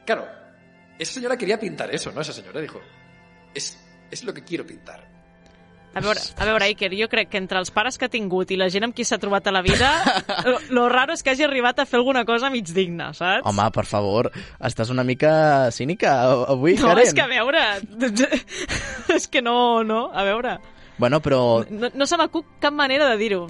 Claro, esa señora quería pintar eso, ¿no? Esa señora dijo, es, es lo que quiero pintar. A veure, a veure, Iker, jo crec que entre els pares que ha tingut i la gent amb qui s'ha trobat a la vida, lo, lo raro és que hagi arribat a fer alguna cosa mig digna, saps? Home, per favor, estàs una mica cínica avui, no, Karen. No, és que a veure... és que no, no, a veure... Bueno, però... No, no se m'acut cap manera de dir-ho.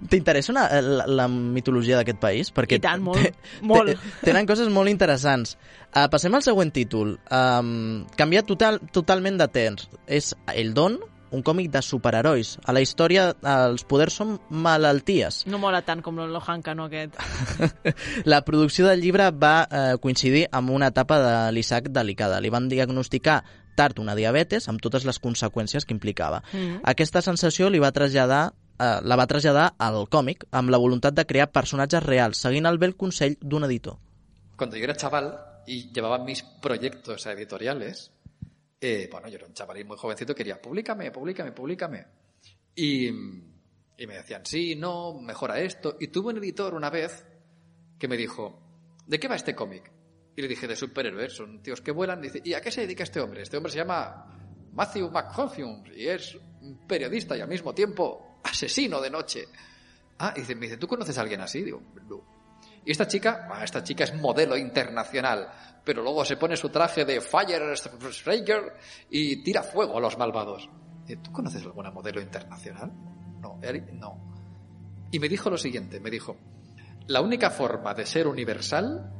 T'interessa una, la, la mitologia d'aquest país? Perquè I tant, molt. molt. Tenen coses molt interessants. Uh, passem al següent títol. Um, canvia total, totalment de temps. És El Don, un còmic de superherois. A la història els poders són malalties. No mola tant com l'Ohanka, no, aquest. La producció del llibre va eh, coincidir amb una etapa de l'Isaac delicada. Li van diagnosticar tard una diabetes amb totes les conseqüències que implicava. Mm-hmm. Aquesta sensació li va traslladar eh, la va traslladar al còmic amb la voluntat de crear personatges reals, seguint el bel consell d'un editor. Cuando yo era chaval y llevaba mis proyectos editoriales, Eh, bueno, yo era un chavalín muy jovencito, quería, públicame, públicame, públicame. Y, y me decían, sí, no, mejora esto. Y tuve un editor una vez que me dijo, ¿de qué va este cómic? Y le dije, de superhéroes, son tíos que vuelan. Dice, ¿y a qué se dedica este hombre? Este hombre se llama Matthew McConaughey y es un periodista y al mismo tiempo asesino de noche. Ah, y dice, me dice, ¿tú conoces a alguien así? Digo, no. Y esta chica, ah, esta chica es modelo internacional, pero luego se pone su traje de Fire Striker y tira fuego a los malvados. ¿Tú conoces alguna modelo internacional? No, no. Y me dijo lo siguiente, me dijo, la única forma de ser universal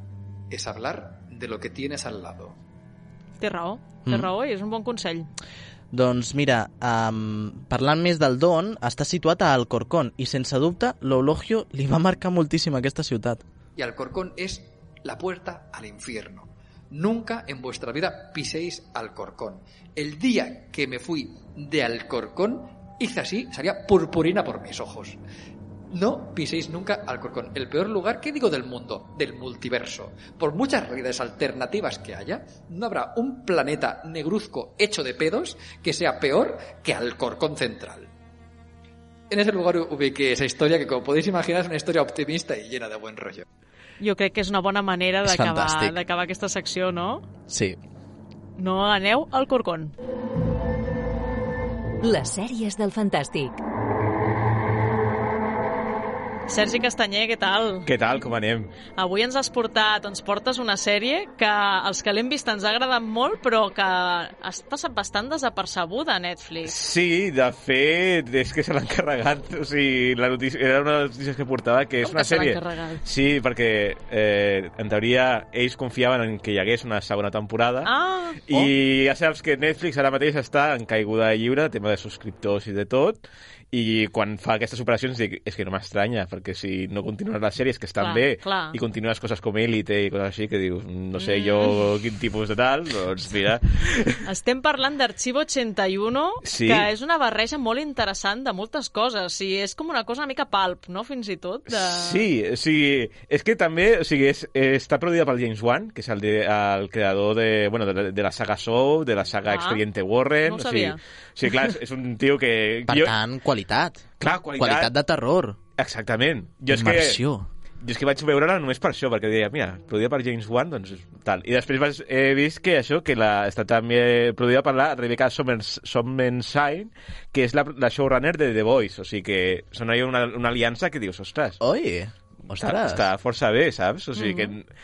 es hablar de lo que tienes al lado. Té raó, té mm. raó i és un bon consell. Doncs mira, um, parlant més del Don, està situat a Alcorcón i sense dubte l'Eulogio li va marcar moltíssim aquesta ciutat. Y Alcorcón es la puerta al infierno. Nunca en vuestra vida piséis Alcorcón. El día que me fui de Alcorcón, hice así, salía purpurina por mis ojos. No piséis nunca Alcorcón. El peor lugar, ¿qué digo del mundo? Del multiverso. Por muchas realidades alternativas que haya, no habrá un planeta negruzco hecho de pedos que sea peor que Alcorcón Central. En ese lugar ubiqué esa historia que, como podéis imaginar, es una historia optimista y llena de buen rollo. Jo crec que és una bona manera És d'acabar fantàstic. d'acabar aquesta secció, no? Sí. No aneu al Corcón. Les sèries del Fantàstic. Sergi Castanyer, què tal? Què tal, com anem? Avui ens has portat, ens portes una sèrie que els que l'hem vist ens ha agradat molt, però que ha passat bastant desapercebuda a Netflix. Sí, de fet, és que se l'han carregat. O sigui, la notícia, era una de les notícies que portava, que és Com una que se l'han sèrie... carregat? Sí, perquè eh, en teoria ells confiaven en que hi hagués una segona temporada. Ah! I ja saps que Netflix ara mateix està en caiguda lliure, tema de subscriptors i de tot, i quan fa aquestes operacions dic, és que no m'estranya, perquè si no continues les sèries que estan Clar, bé clar. i continues coses com Élite i coses així que dius, no sé Mm. jo quin tipus de tal, doncs mira. Estem parlant d'Arxivo ochenta y uno, Sí. que és una barreja molt interessant de moltes coses. I és com una cosa una mica pulp, no?, fins i tot. De... Sí, o sigui, és que també o sigui, és, està produïda pel James Wan, que és el, de, el creador de, bueno, de, de la saga Saw, de la saga Ah, Expediente Warren. no ho o sigui, sabia. o sigui, clar, és, és un tio que... Per tant, qualitat. Clar, qualitat. Qualitat de terror. Exactament. Jo és que, Immersió. jo és que vaig veure-la només per això, perquè deia, mira, produïda per James Wan, doncs tal. I després vas, he vist que això, que la, està també produïda per la Rebecca Somers- Sommenshine, que és la, la showrunner de The Voice, o sigui que són ahí una, una aliança que dius, ostres, Oi, està, ostres. està força bé, saps? O sigui Mhm. que,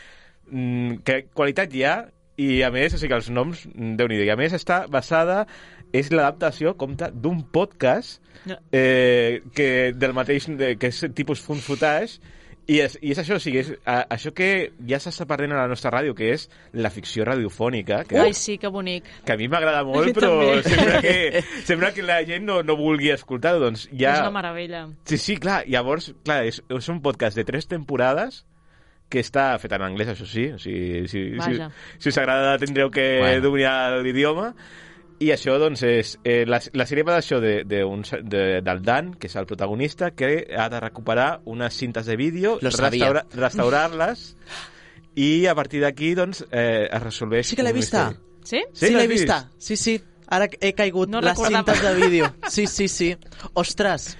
mm, que qualitat hi ha, i a més, o sigui que els noms, déu-n'hi-do, i a més està basada, és l'adaptació, compte, d'un podcast No. eh, que del mateix, de, que és tipus fun footage, i és, i és això, o sigui, és a, això que ja s'està perdent a la nostra ràdio, que és la ficció radiofònica, que, Ai, sí, que bonic. que a mi m'agrada A molt, mi però també. sembla que, sembla que la gent no, no vulgui escoltar-ho, doncs ja... És una meravella. Sí, sí, clar, llavors, clar, és, és un podcast de tres temporades que està fet en anglès, això sí, o sigui, si, si, Vaja. si us agrada tindreu que Bueno. dominar l'idioma, i això, doncs, és... Eh, la, la sèrie va d'això de, de un, de, del Dan, que és el protagonista, que ha de recuperar unes cintes de vídeo, Lo sabia. restaura, restaurar-les, i a partir d'aquí, doncs, eh, es resolveix... Sí que l'he un vista. misteri. Sí? Sí, Sí, l'he l'has vist? vista. Sí, sí. Ara he caigut No les recordava. cintes de vídeo. Sí, sí, sí. Ostres.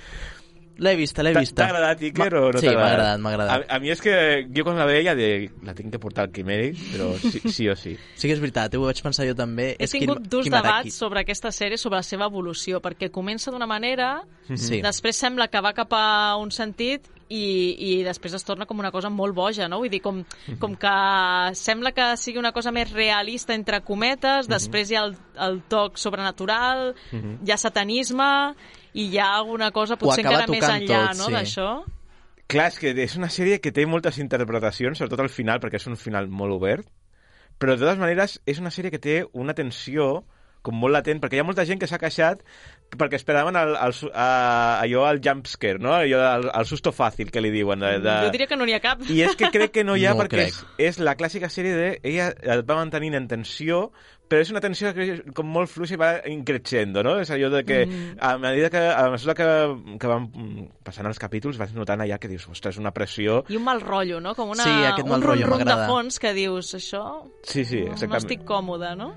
L'he vista, l'he T'ha- vista. T'ha agradat, Iker, Ma- o no sí, t'ha m'ha agradat? agradat, m'ha agradat. A, a mi és que jo quan la veia de, la tinc que portar al quimèric, però sí, sí o sí. Sí que és veritat, ho vaig pensar jo també. He És tingut Kim- durs Kimaraki. debats sobre aquesta sèrie, sobre la seva evolució, perquè comença d'una manera, Sí. després sembla que va cap a un sentit i, i després es torna com una cosa molt boja, no? Vull dir, com, com que sembla que sigui una cosa més realista, entre cometes, després hi ha el, el toc sobrenatural, hi ha satanisme i hi ha alguna cosa potser acaba encara més tocant enllà, tot, no?, sí. d'això. Clar, és que és una sèrie que té moltes interpretacions, sobretot al final, perquè és un final molt obert, però de totes maneres és una sèrie que té una tensió com molt latent, perquè hi ha molta gent que s'ha queixat perquè esperaven el, el, su- a, allò, el jumpscare, no? Allò, el, el susto fàcil, que li diuen. De, de... Jo diria que no n'hi ha cap. I és que crec que no hi ha, No ho perquè crec. és, és la clàssica sèrie de... Ella et va mantenint en tensió, però és una tensió que és com molt fluixa i va increixendo, no? És allò de que Mm. a medida que, a mesura que, que van passant els capítols vas notant allà que dius, ostres, una pressió... I un mal rotllo, no? Com una, Sí, aquest mal un rotllo rum-rum de m'agrada. fons que dius, això Sí, sí, no, no exactament. estic còmode, no?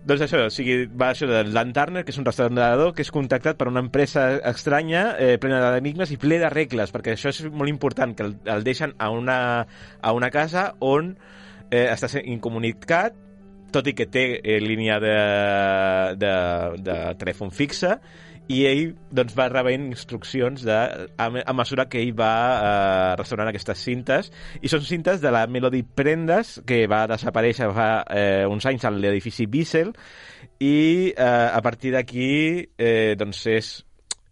Doncs això, o sigui, va això de Dan Turner, que és un restaurador que és contactat per una empresa estranya, eh, plena d'enigmes i ple de regles, perquè això és molt important, que el, el deixen a una, a una casa on eh, està sent incomunicat, tot i que té eh, línia de, de, de telèfon fixa, i ell doncs, va rebent instruccions de, a, a mesura que ell va eh, restaurant aquestes cintes, i són cintes de la Melody Prendas, que va desaparèixer fa eh, uns anys a l'edifici Bissell, i eh, a partir d'aquí eh, doncs és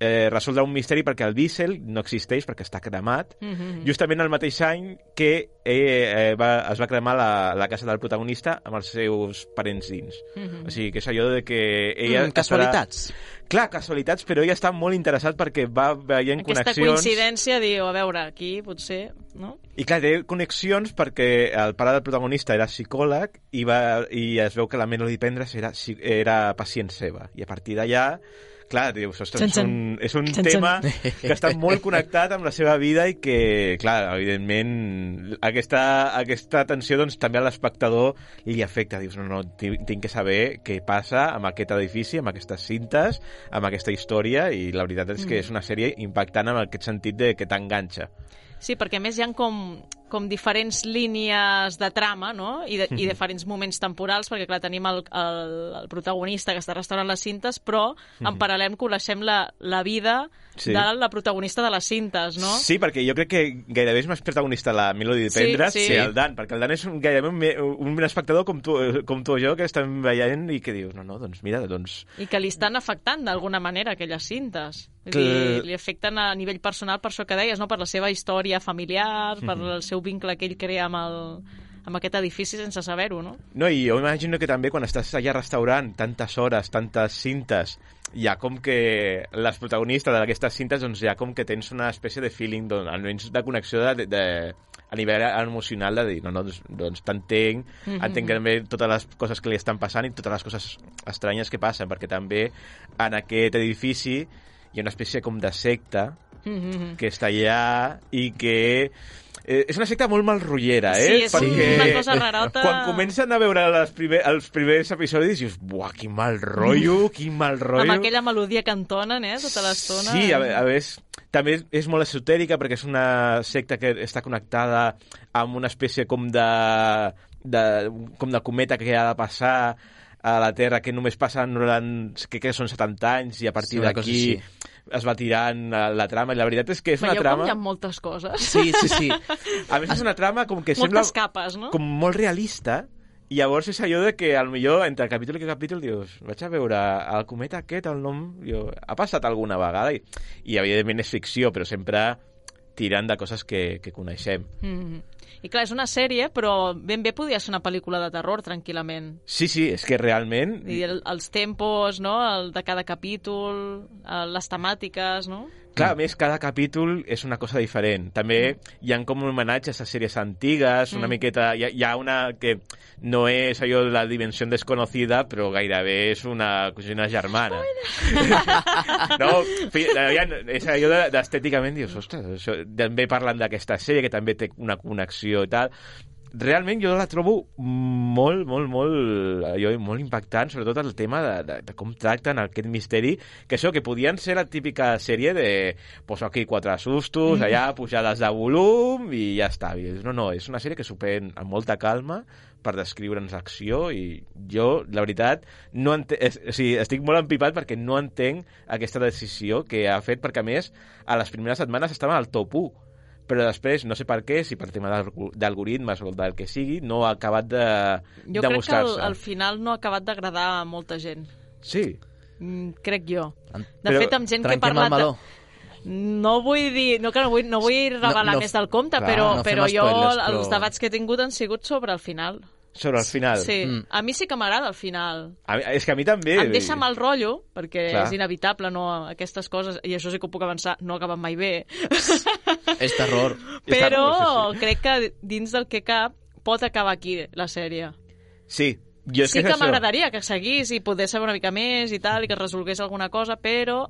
eh, resoldre un misteri perquè el Diesel no existeix, perquè està cremat, Mm-hmm. justament el mateix any que eh, eh, va, es va cremar la, la casa del protagonista amb els seus parents dins. Mm-hmm. O sigui, que és allò de que ella... Mm, casualitats. Estarà... Clar, casualitats, però ella està molt interessat perquè va veient Aquesta connexions... coincidència, diu, a veure, aquí potser, no? I clar, té connexions perquè el pare del protagonista era psicòleg i, va, i es veu que la Melody Pendres era, era pacient seva. I a partir d'allà, clar, dius, ostres, és un, és un Xan, tema que està molt connectat amb la seva vida i que, clar, evidentment, aquesta, aquesta tensió doncs, també a l'espectador li afecta. Dius, no, no, tinc que saber què passa amb aquest edifici, amb aquestes cintes, amb aquesta història, i la veritat és que és una sèrie impactant en aquest sentit de que t'enganxa. Sí, perquè a més hi ha com, com diferents línies de trama, no? I, de, i diferents moments temporals, perquè clar, tenim el, el, el protagonista que està restaurant les cintes, però en paral·lel coneixem la, la vida Sí. de la protagonista de les cintes, no? Sí, perquè jo crec que gairebé és més protagonista la Melody Sí, Pendres sí. que el Dan, perquè el Dan és un, gairebé un, me- un espectador com tu, com tu o jo que estem veient i que dius, no, no, doncs mira, doncs... I que li estan afectant d'alguna manera aquelles cintes. Vull Que- dir, li afecten a nivell personal per això que deies, no? Per la seva història familiar, per el seu vincle que ell crea amb, el, amb aquest edifici sense saber-ho, no? No, i jo imagino que també quan estàs allà restaurant tantes hores, tantes cintes, hi ha com que les protagonistes d'aquestes cintes, doncs hi ha com que tens una espècie de feeling, doncs, almenys de connexió de, de, a nivell emocional de dir, no, no, doncs, doncs t'entenc, mm-hmm. entenc també totes les coses que li estan passant i totes les coses estranyes que passen, perquè també en aquest edifici hi ha una espècie com de secta Mm-hmm. que està allà i que eh, és una secta molt malrotllera, eh? Sí, és perquè una cosa rarota. quan comencen a veure les primer, els primers episodis dius, buah, quin mal rotllo, quin mal rotllo. Amb aquella melodia que entonen, eh, tota l'estona. Sí, a, a més, també és, és molt esotèrica perquè és una secta que està connectada amb una espècie com de, de, com de cometa que ha de passar a la Terra, que només passen que, que són setanta anys i a partir Sí, una cosa d'aquí així. es va tirant la, la trama, i la veritat és que és una Veieu trama... com hi ha moltes coses? Sí, sí, sí. A més, és una trama com que Moltes sembla capes, no? com molt realista, i llavors és allò de que al millor entre capítol i capítol dius, vaig a veure el cometa aquest, el nom, jo, ha passat alguna vegada, i, i evidentment és ficció, però sempre tirant de coses que, que coneixem. Mm-hmm. I clar, és una sèrie, però ben bé podria ser una pel·lícula de terror, tranquil·lament. Sí, sí, és que realment... I el, els tempos, no?, el de cada capítol, el, les temàtiques, no? Clar, a més, cada capítol és una cosa diferent. També hi ha com homenatges a sèries antigues, una Mm. miqueta... Hi ha, hi ha una que no és allò de la dimensió desconocida, però gairebé és una cosina germana. No, fi, ja, és allò de- d'estèticament, dius, ostres, això, també parlen d'aquesta sèrie, que també té una connexió i tal. Realment jo la trobo molt, molt, molt, allò, molt impactant, sobretot el tema de, de, de com tracten aquest misteri, que això, que podien ser la típica sèrie de poso aquí quatre sustos, Mm. allà pujades de volum i ja està. I no, no, és una sèrie que s'ho pren amb molta calma per descriure'ns l'acció, i jo, la veritat, no ente... és, o sigui, estic molt empipat perquè no entenc aquesta decisió que ha fet, perquè a més, a les primeres setmanes estava al top u, però després, no sé per què, si per tema d'alg- d'algoritmes o del que sigui, no ha acabat de, Jo de crec que mostrar-se. al, al final no ha acabat d'agradar a molta gent. Sí. Mm, crec jo. De Però fet, amb gent que he Trenquem el parlat... meló. No vull dir, no, que no vull, no vull revelar No, no, més del compte, clar, però, no fem però jo spoilers, però- els debats que he tingut han sigut sobre el final. Sobre el final. Sí, Mm. a mi sí que m'agrada el final. A mi, és que a mi també... Em deixa mal rotllo, perquè Clar. és inevitable, no, aquestes coses, i això sí que ho puc avançar, no acaben mai bé. És terror. Però Sí, sí. crec que dins del que cap pot acabar aquí la sèrie. Sí, jo és Sí que, que és això. m'agradaria que seguís i poder saber una mica més i tal, i que es resolgués alguna cosa, però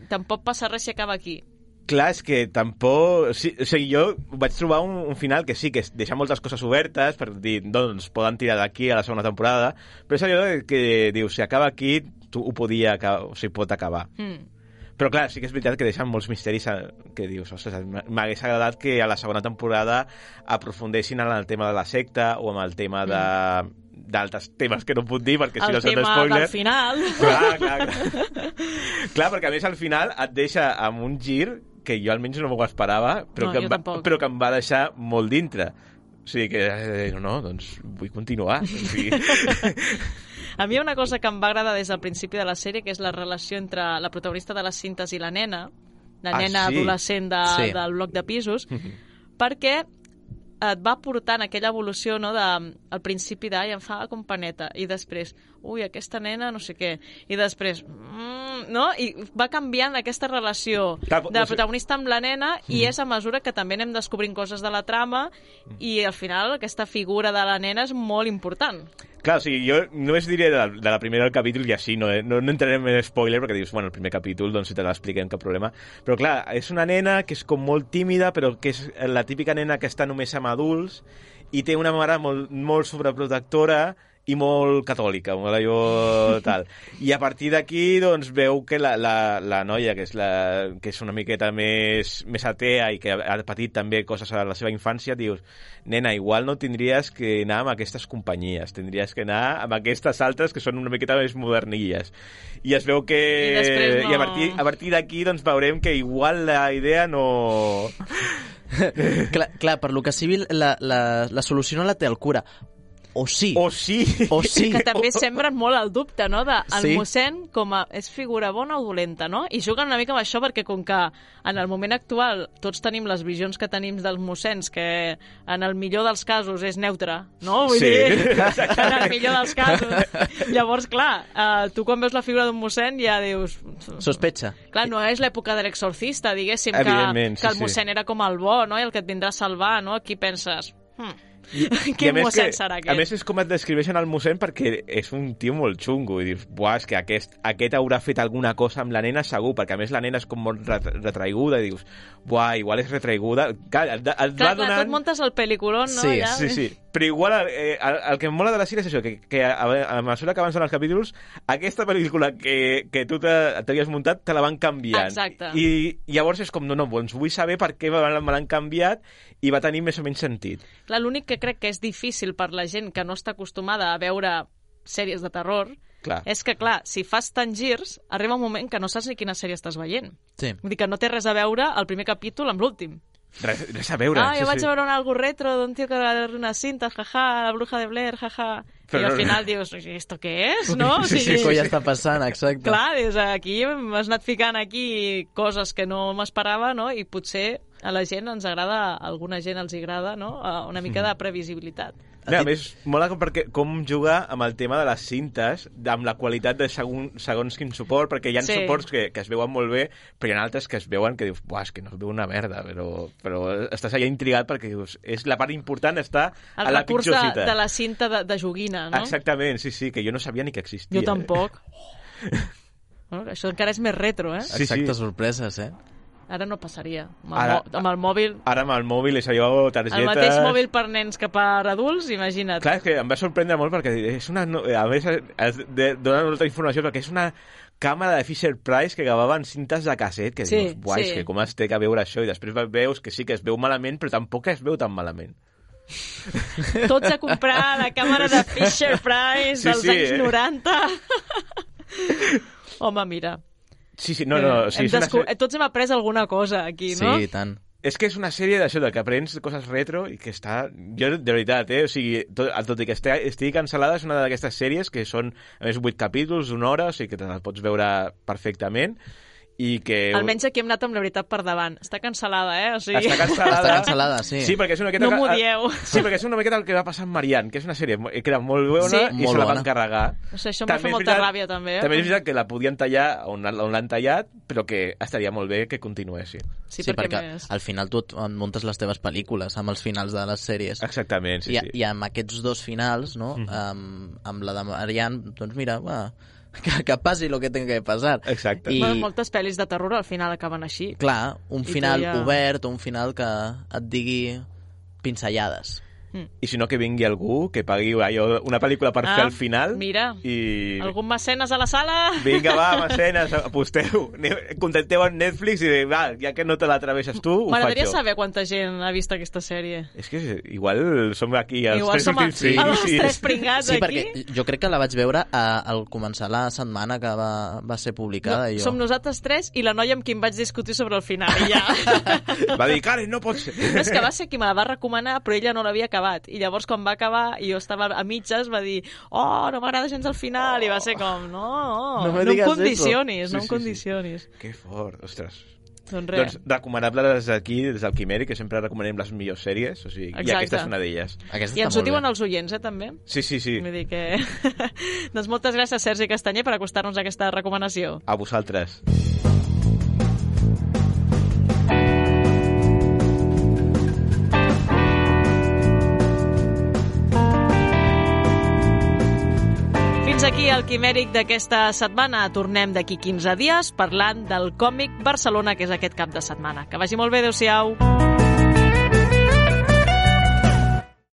tampoc passa res si acaba aquí. Clar, és que tampoc... Sí, o sigui, jo vaig trobar un, un final que sí, que deixa moltes coses obertes per dir, doncs, poden tirar d'aquí a la segona temporada, però és allò de que dius, si acaba aquí, tu ho podia acabar, o sigui, pot acabar. Mm. Però clar, sí que és veritat que deixen molts misteris a, que dius, ostres, m'hagués agradat que a la segona temporada aprofundessin en el tema de la secta o amb el tema de d'altres temes que no puc dir perquè si El no són tema spoiler. del final. Clar, clar, clar. Clar, perquè a més al final et deixa amb un gir que jo almenys no m'ho esperava, però, No, que jo em va, tampoc. però que em va deixar molt dintre. O sigui que, eh, no, no, doncs vull continuar. O sigui... A mi hi ha una cosa que em va agradar des del principi de la sèrie, que és la relació entre la protagonista de les cintes i la nena, la Ah, nena sí? adolescent de, Sí. del bloc de pisos, perquè et va portant aquella evolució, no, de, al principi d'ai, em fa com paneta, i després, ui, aquesta nena, no sé què, i després, mm, no? I va canviant aquesta relació Clar, de la o sigui- protagonista amb la nena, i és a mesura que també anem descobrint coses de la trama, i al final aquesta figura de la nena és molt important. Clar, o sigui, jo només diré de la, de la primera del capítol i així, no, eh? no, no entrarem en spoiler perquè dius, bueno, el primer capítol, doncs si te l'expliquem, cap problema. Però clar, és una nena que és com molt tímida, però que és la típica nena que està només amb adults i té una mare molt, molt sobreprotectora i molt catòlica, molt allò tal. I a partir d'aquí, doncs, veu que la, la, la noia, que és, la, que és una miqueta més, més atea i que ha patit també coses a la seva infància, dius, nena, igual no tindries que anar amb aquestes companyies, tindries que anar amb aquestes altres que són una miqueta més modernilles. I es veu que... I després no... I a partir, a partir d'aquí, doncs, veurem que igual la idea no... clar, clar, per lo que sigui, la, la, la solució no la té el cura. O sí. O sí. O sí. Que també sembren molt el dubte, no?, de el Sí. mossèn com a és figura bona o dolenta, no? I juguen una mica amb això perquè com que en el moment actual tots tenim les visions que tenim dels mossens, que en el millor dels casos és neutre, no? Vull Sí. dir, en el millor dels casos. Llavors, clar, eh, tu quan veus la figura d'un mossèn ja dius... Sospecha. Clar, no és l'època de l'exorcista, diguéssim, que, Evidentment, sí, que el sí. mossèn era com el bo, no?, i el que et vindrà a salvar, no? Aquí penses... Hmm. I, Quin a més mossèn que, serà aquest? A més, és com et descriveixen el mossèn perquè és un tio molt xungo i dius, buah, és que aquest, aquest haurà fet alguna cosa amb la nena segur, perquè a més la nena és com molt ret retraiguda i dius, buah, igual és retraiguda. Clar, et, et Clar, va clar, donant... tu et muntes el pel·liculón, no? Sí, ja. Sí, sí. Però igual eh, el, el que em mola de la sèrie és això, que, que a, a mesura que avancen els capítols, aquesta pel·lícula que, que tu t'havies muntat te la van canviant. Exacte. I, I llavors és com, no, no, doncs vull saber per què me l'han canviat i va tenir més o menys sentit. Clar, l'únic que crec que és difícil per la gent que no està acostumada a veure sèries de terror Clar. és que, clar, si fas tants girs, arriba un moment que no saps ni quina sèrie estàs veient. Sí. Vull dir que no té res a veure el primer capítol amb l'últim. Res, res a veure. Ah, jo sí, vaig sí. a veure un algo retro d'un tio que va veure unes cintes, jaja, la bruja de Blair, jaja. Però I al no- final dius, ¿esto què és? No? O Sí, sigui, sí, què està passant, exacte. clar, dius, aquí m'has anat ficant aquí coses que no m'esperava, no? I potser a la gent ens agrada, a alguna gent els agrada, no? Una mica de previsibilitat. No, a més, mola com, perquè, com jugar amb el tema de les cintes, amb la qualitat de segon, segons quin suport, perquè hi ha Sí. suports que, que es veuen molt bé, però hi ha altres que es veuen que dius, buah, és que no es veu una merda, però, però estàs allà intrigat perquè dius, és la part important està El a la recurs de, pitjor cita. de la cinta de, de joguina, no? Exactament, sí, sí, que jo no sabia ni que existia. Jo tampoc. Bueno, això encara és més retro, eh? Sí, Exactes sí. sorpreses, eh? Ara no passaria. Amb el, Ara- mo amb el mòbil... Ara amb el mòbil és allò, targetes... El mateix mòbil per nens que per adults, imagina't. Clar, és que em va sorprendre molt perquè és una... no- A més, es de, dona molta informació perquè és una càmera de Fisher-Price que gravaven cintes de casset que Sí, dius, buai, sí. és que com es té que veure això? I després veus que sí que es veu malament, però tampoc es veu tan malament. Tots a comprar la càmera de Fisher-Price Sí, dels sí, anys eh? noranta. Home, mira. Sí, sí, no, no, sí, hem és una desco- sèrie... Tots hem après alguna cosa aquí, no? Sí, i tant. És que és una sèrie d'això, de que aprens coses retro i que està... Jo, de veritat, eh? O sigui, tot, tot i que estigui, estigui cancel·lada, és una d'aquestes sèries que són, a més, vuit capítols, una hora, o sigui que te la pots veure perfectament i que... Almenys aquí hem anat amb la veritat per davant. Està cancel·lada, eh? O sigui... Està cancel·lada. Està cancel·lada, sí. Sí, perquè és una miqueta... No m'ho dieu. Sí, perquè és una miqueta el que va passar amb Marianne, que és una sèrie que era molt bona Sí. i Molt se la van bona. carregar. O sigui, això em va També fer és molta veritat- ràbia, també. Eh? També és veritat que la podien tallar on, on l'han tallat, però que estaria molt bé que continuessi. Sí, Sí, perquè, perquè més... al final tu et muntes les teves pel·lícules amb els finals de les sèries. Exactament, sí, I, sí. I amb aquests dos finals, no? Mhm. amb, amb la de Marianne, doncs mira, va, que, que passi el que tenga que passar. Exacte. I, Bueno, moltes pel·lis de terror al final acaben així. clar, un I final tu ja- obert, un final que et digui pinzellades. I si no, que vingui algú que pagui allò, una pel·lícula per Ah, fer al final. mira. I... Algun mecenes a la sala? Vinga, va, mecenes, aposteu. Aneu- Contacteu amb Netflix i va, ja que no te l'atreveixes tu, ho faig M'agradaria jo. saber quanta gent ha vist aquesta sèrie. És que igual som aquí els Igual tres som últims els, els sí. tres pringats Sí, aquí. perquè jo crec que la vaig veure a, al començar la setmana que va, va ser publicada. No, i jo... som nosaltres tres i la noia amb qui em vaig discutir sobre el final. I ja. Va dir, Karen, no pot ser. No, és que va ser qui me la va recomanar, però ella no l'havia acabat acabat. I llavors, quan va acabar, i jo estava a mitges, va dir, oh, no m'agrada gens el final, i va ser com, no, No no, me no em digas condicionis, eso. no Sí, em sí, sí. condicionis. Que fort, ostres. Doncs res. Doncs recomanable des d'aquí, des del Quimèric, que sempre recomanem les millors sèries, o sigui, i Exacte. aquesta és una d'elles. Aquesta I està ens ho molt diuen bé. els oients, eh, també? Sí, sí, sí. Vull dir que... doncs moltes gràcies, Sergi Castanyer, per acostar-nos a aquesta recomanació. A vosaltres. Fins aquí el Quimèric d'aquesta setmana. Tornem d'aquí quinze dies parlant del còmic Barcelona, que és aquest cap de setmana. Que vagi molt bé, adeu-siau.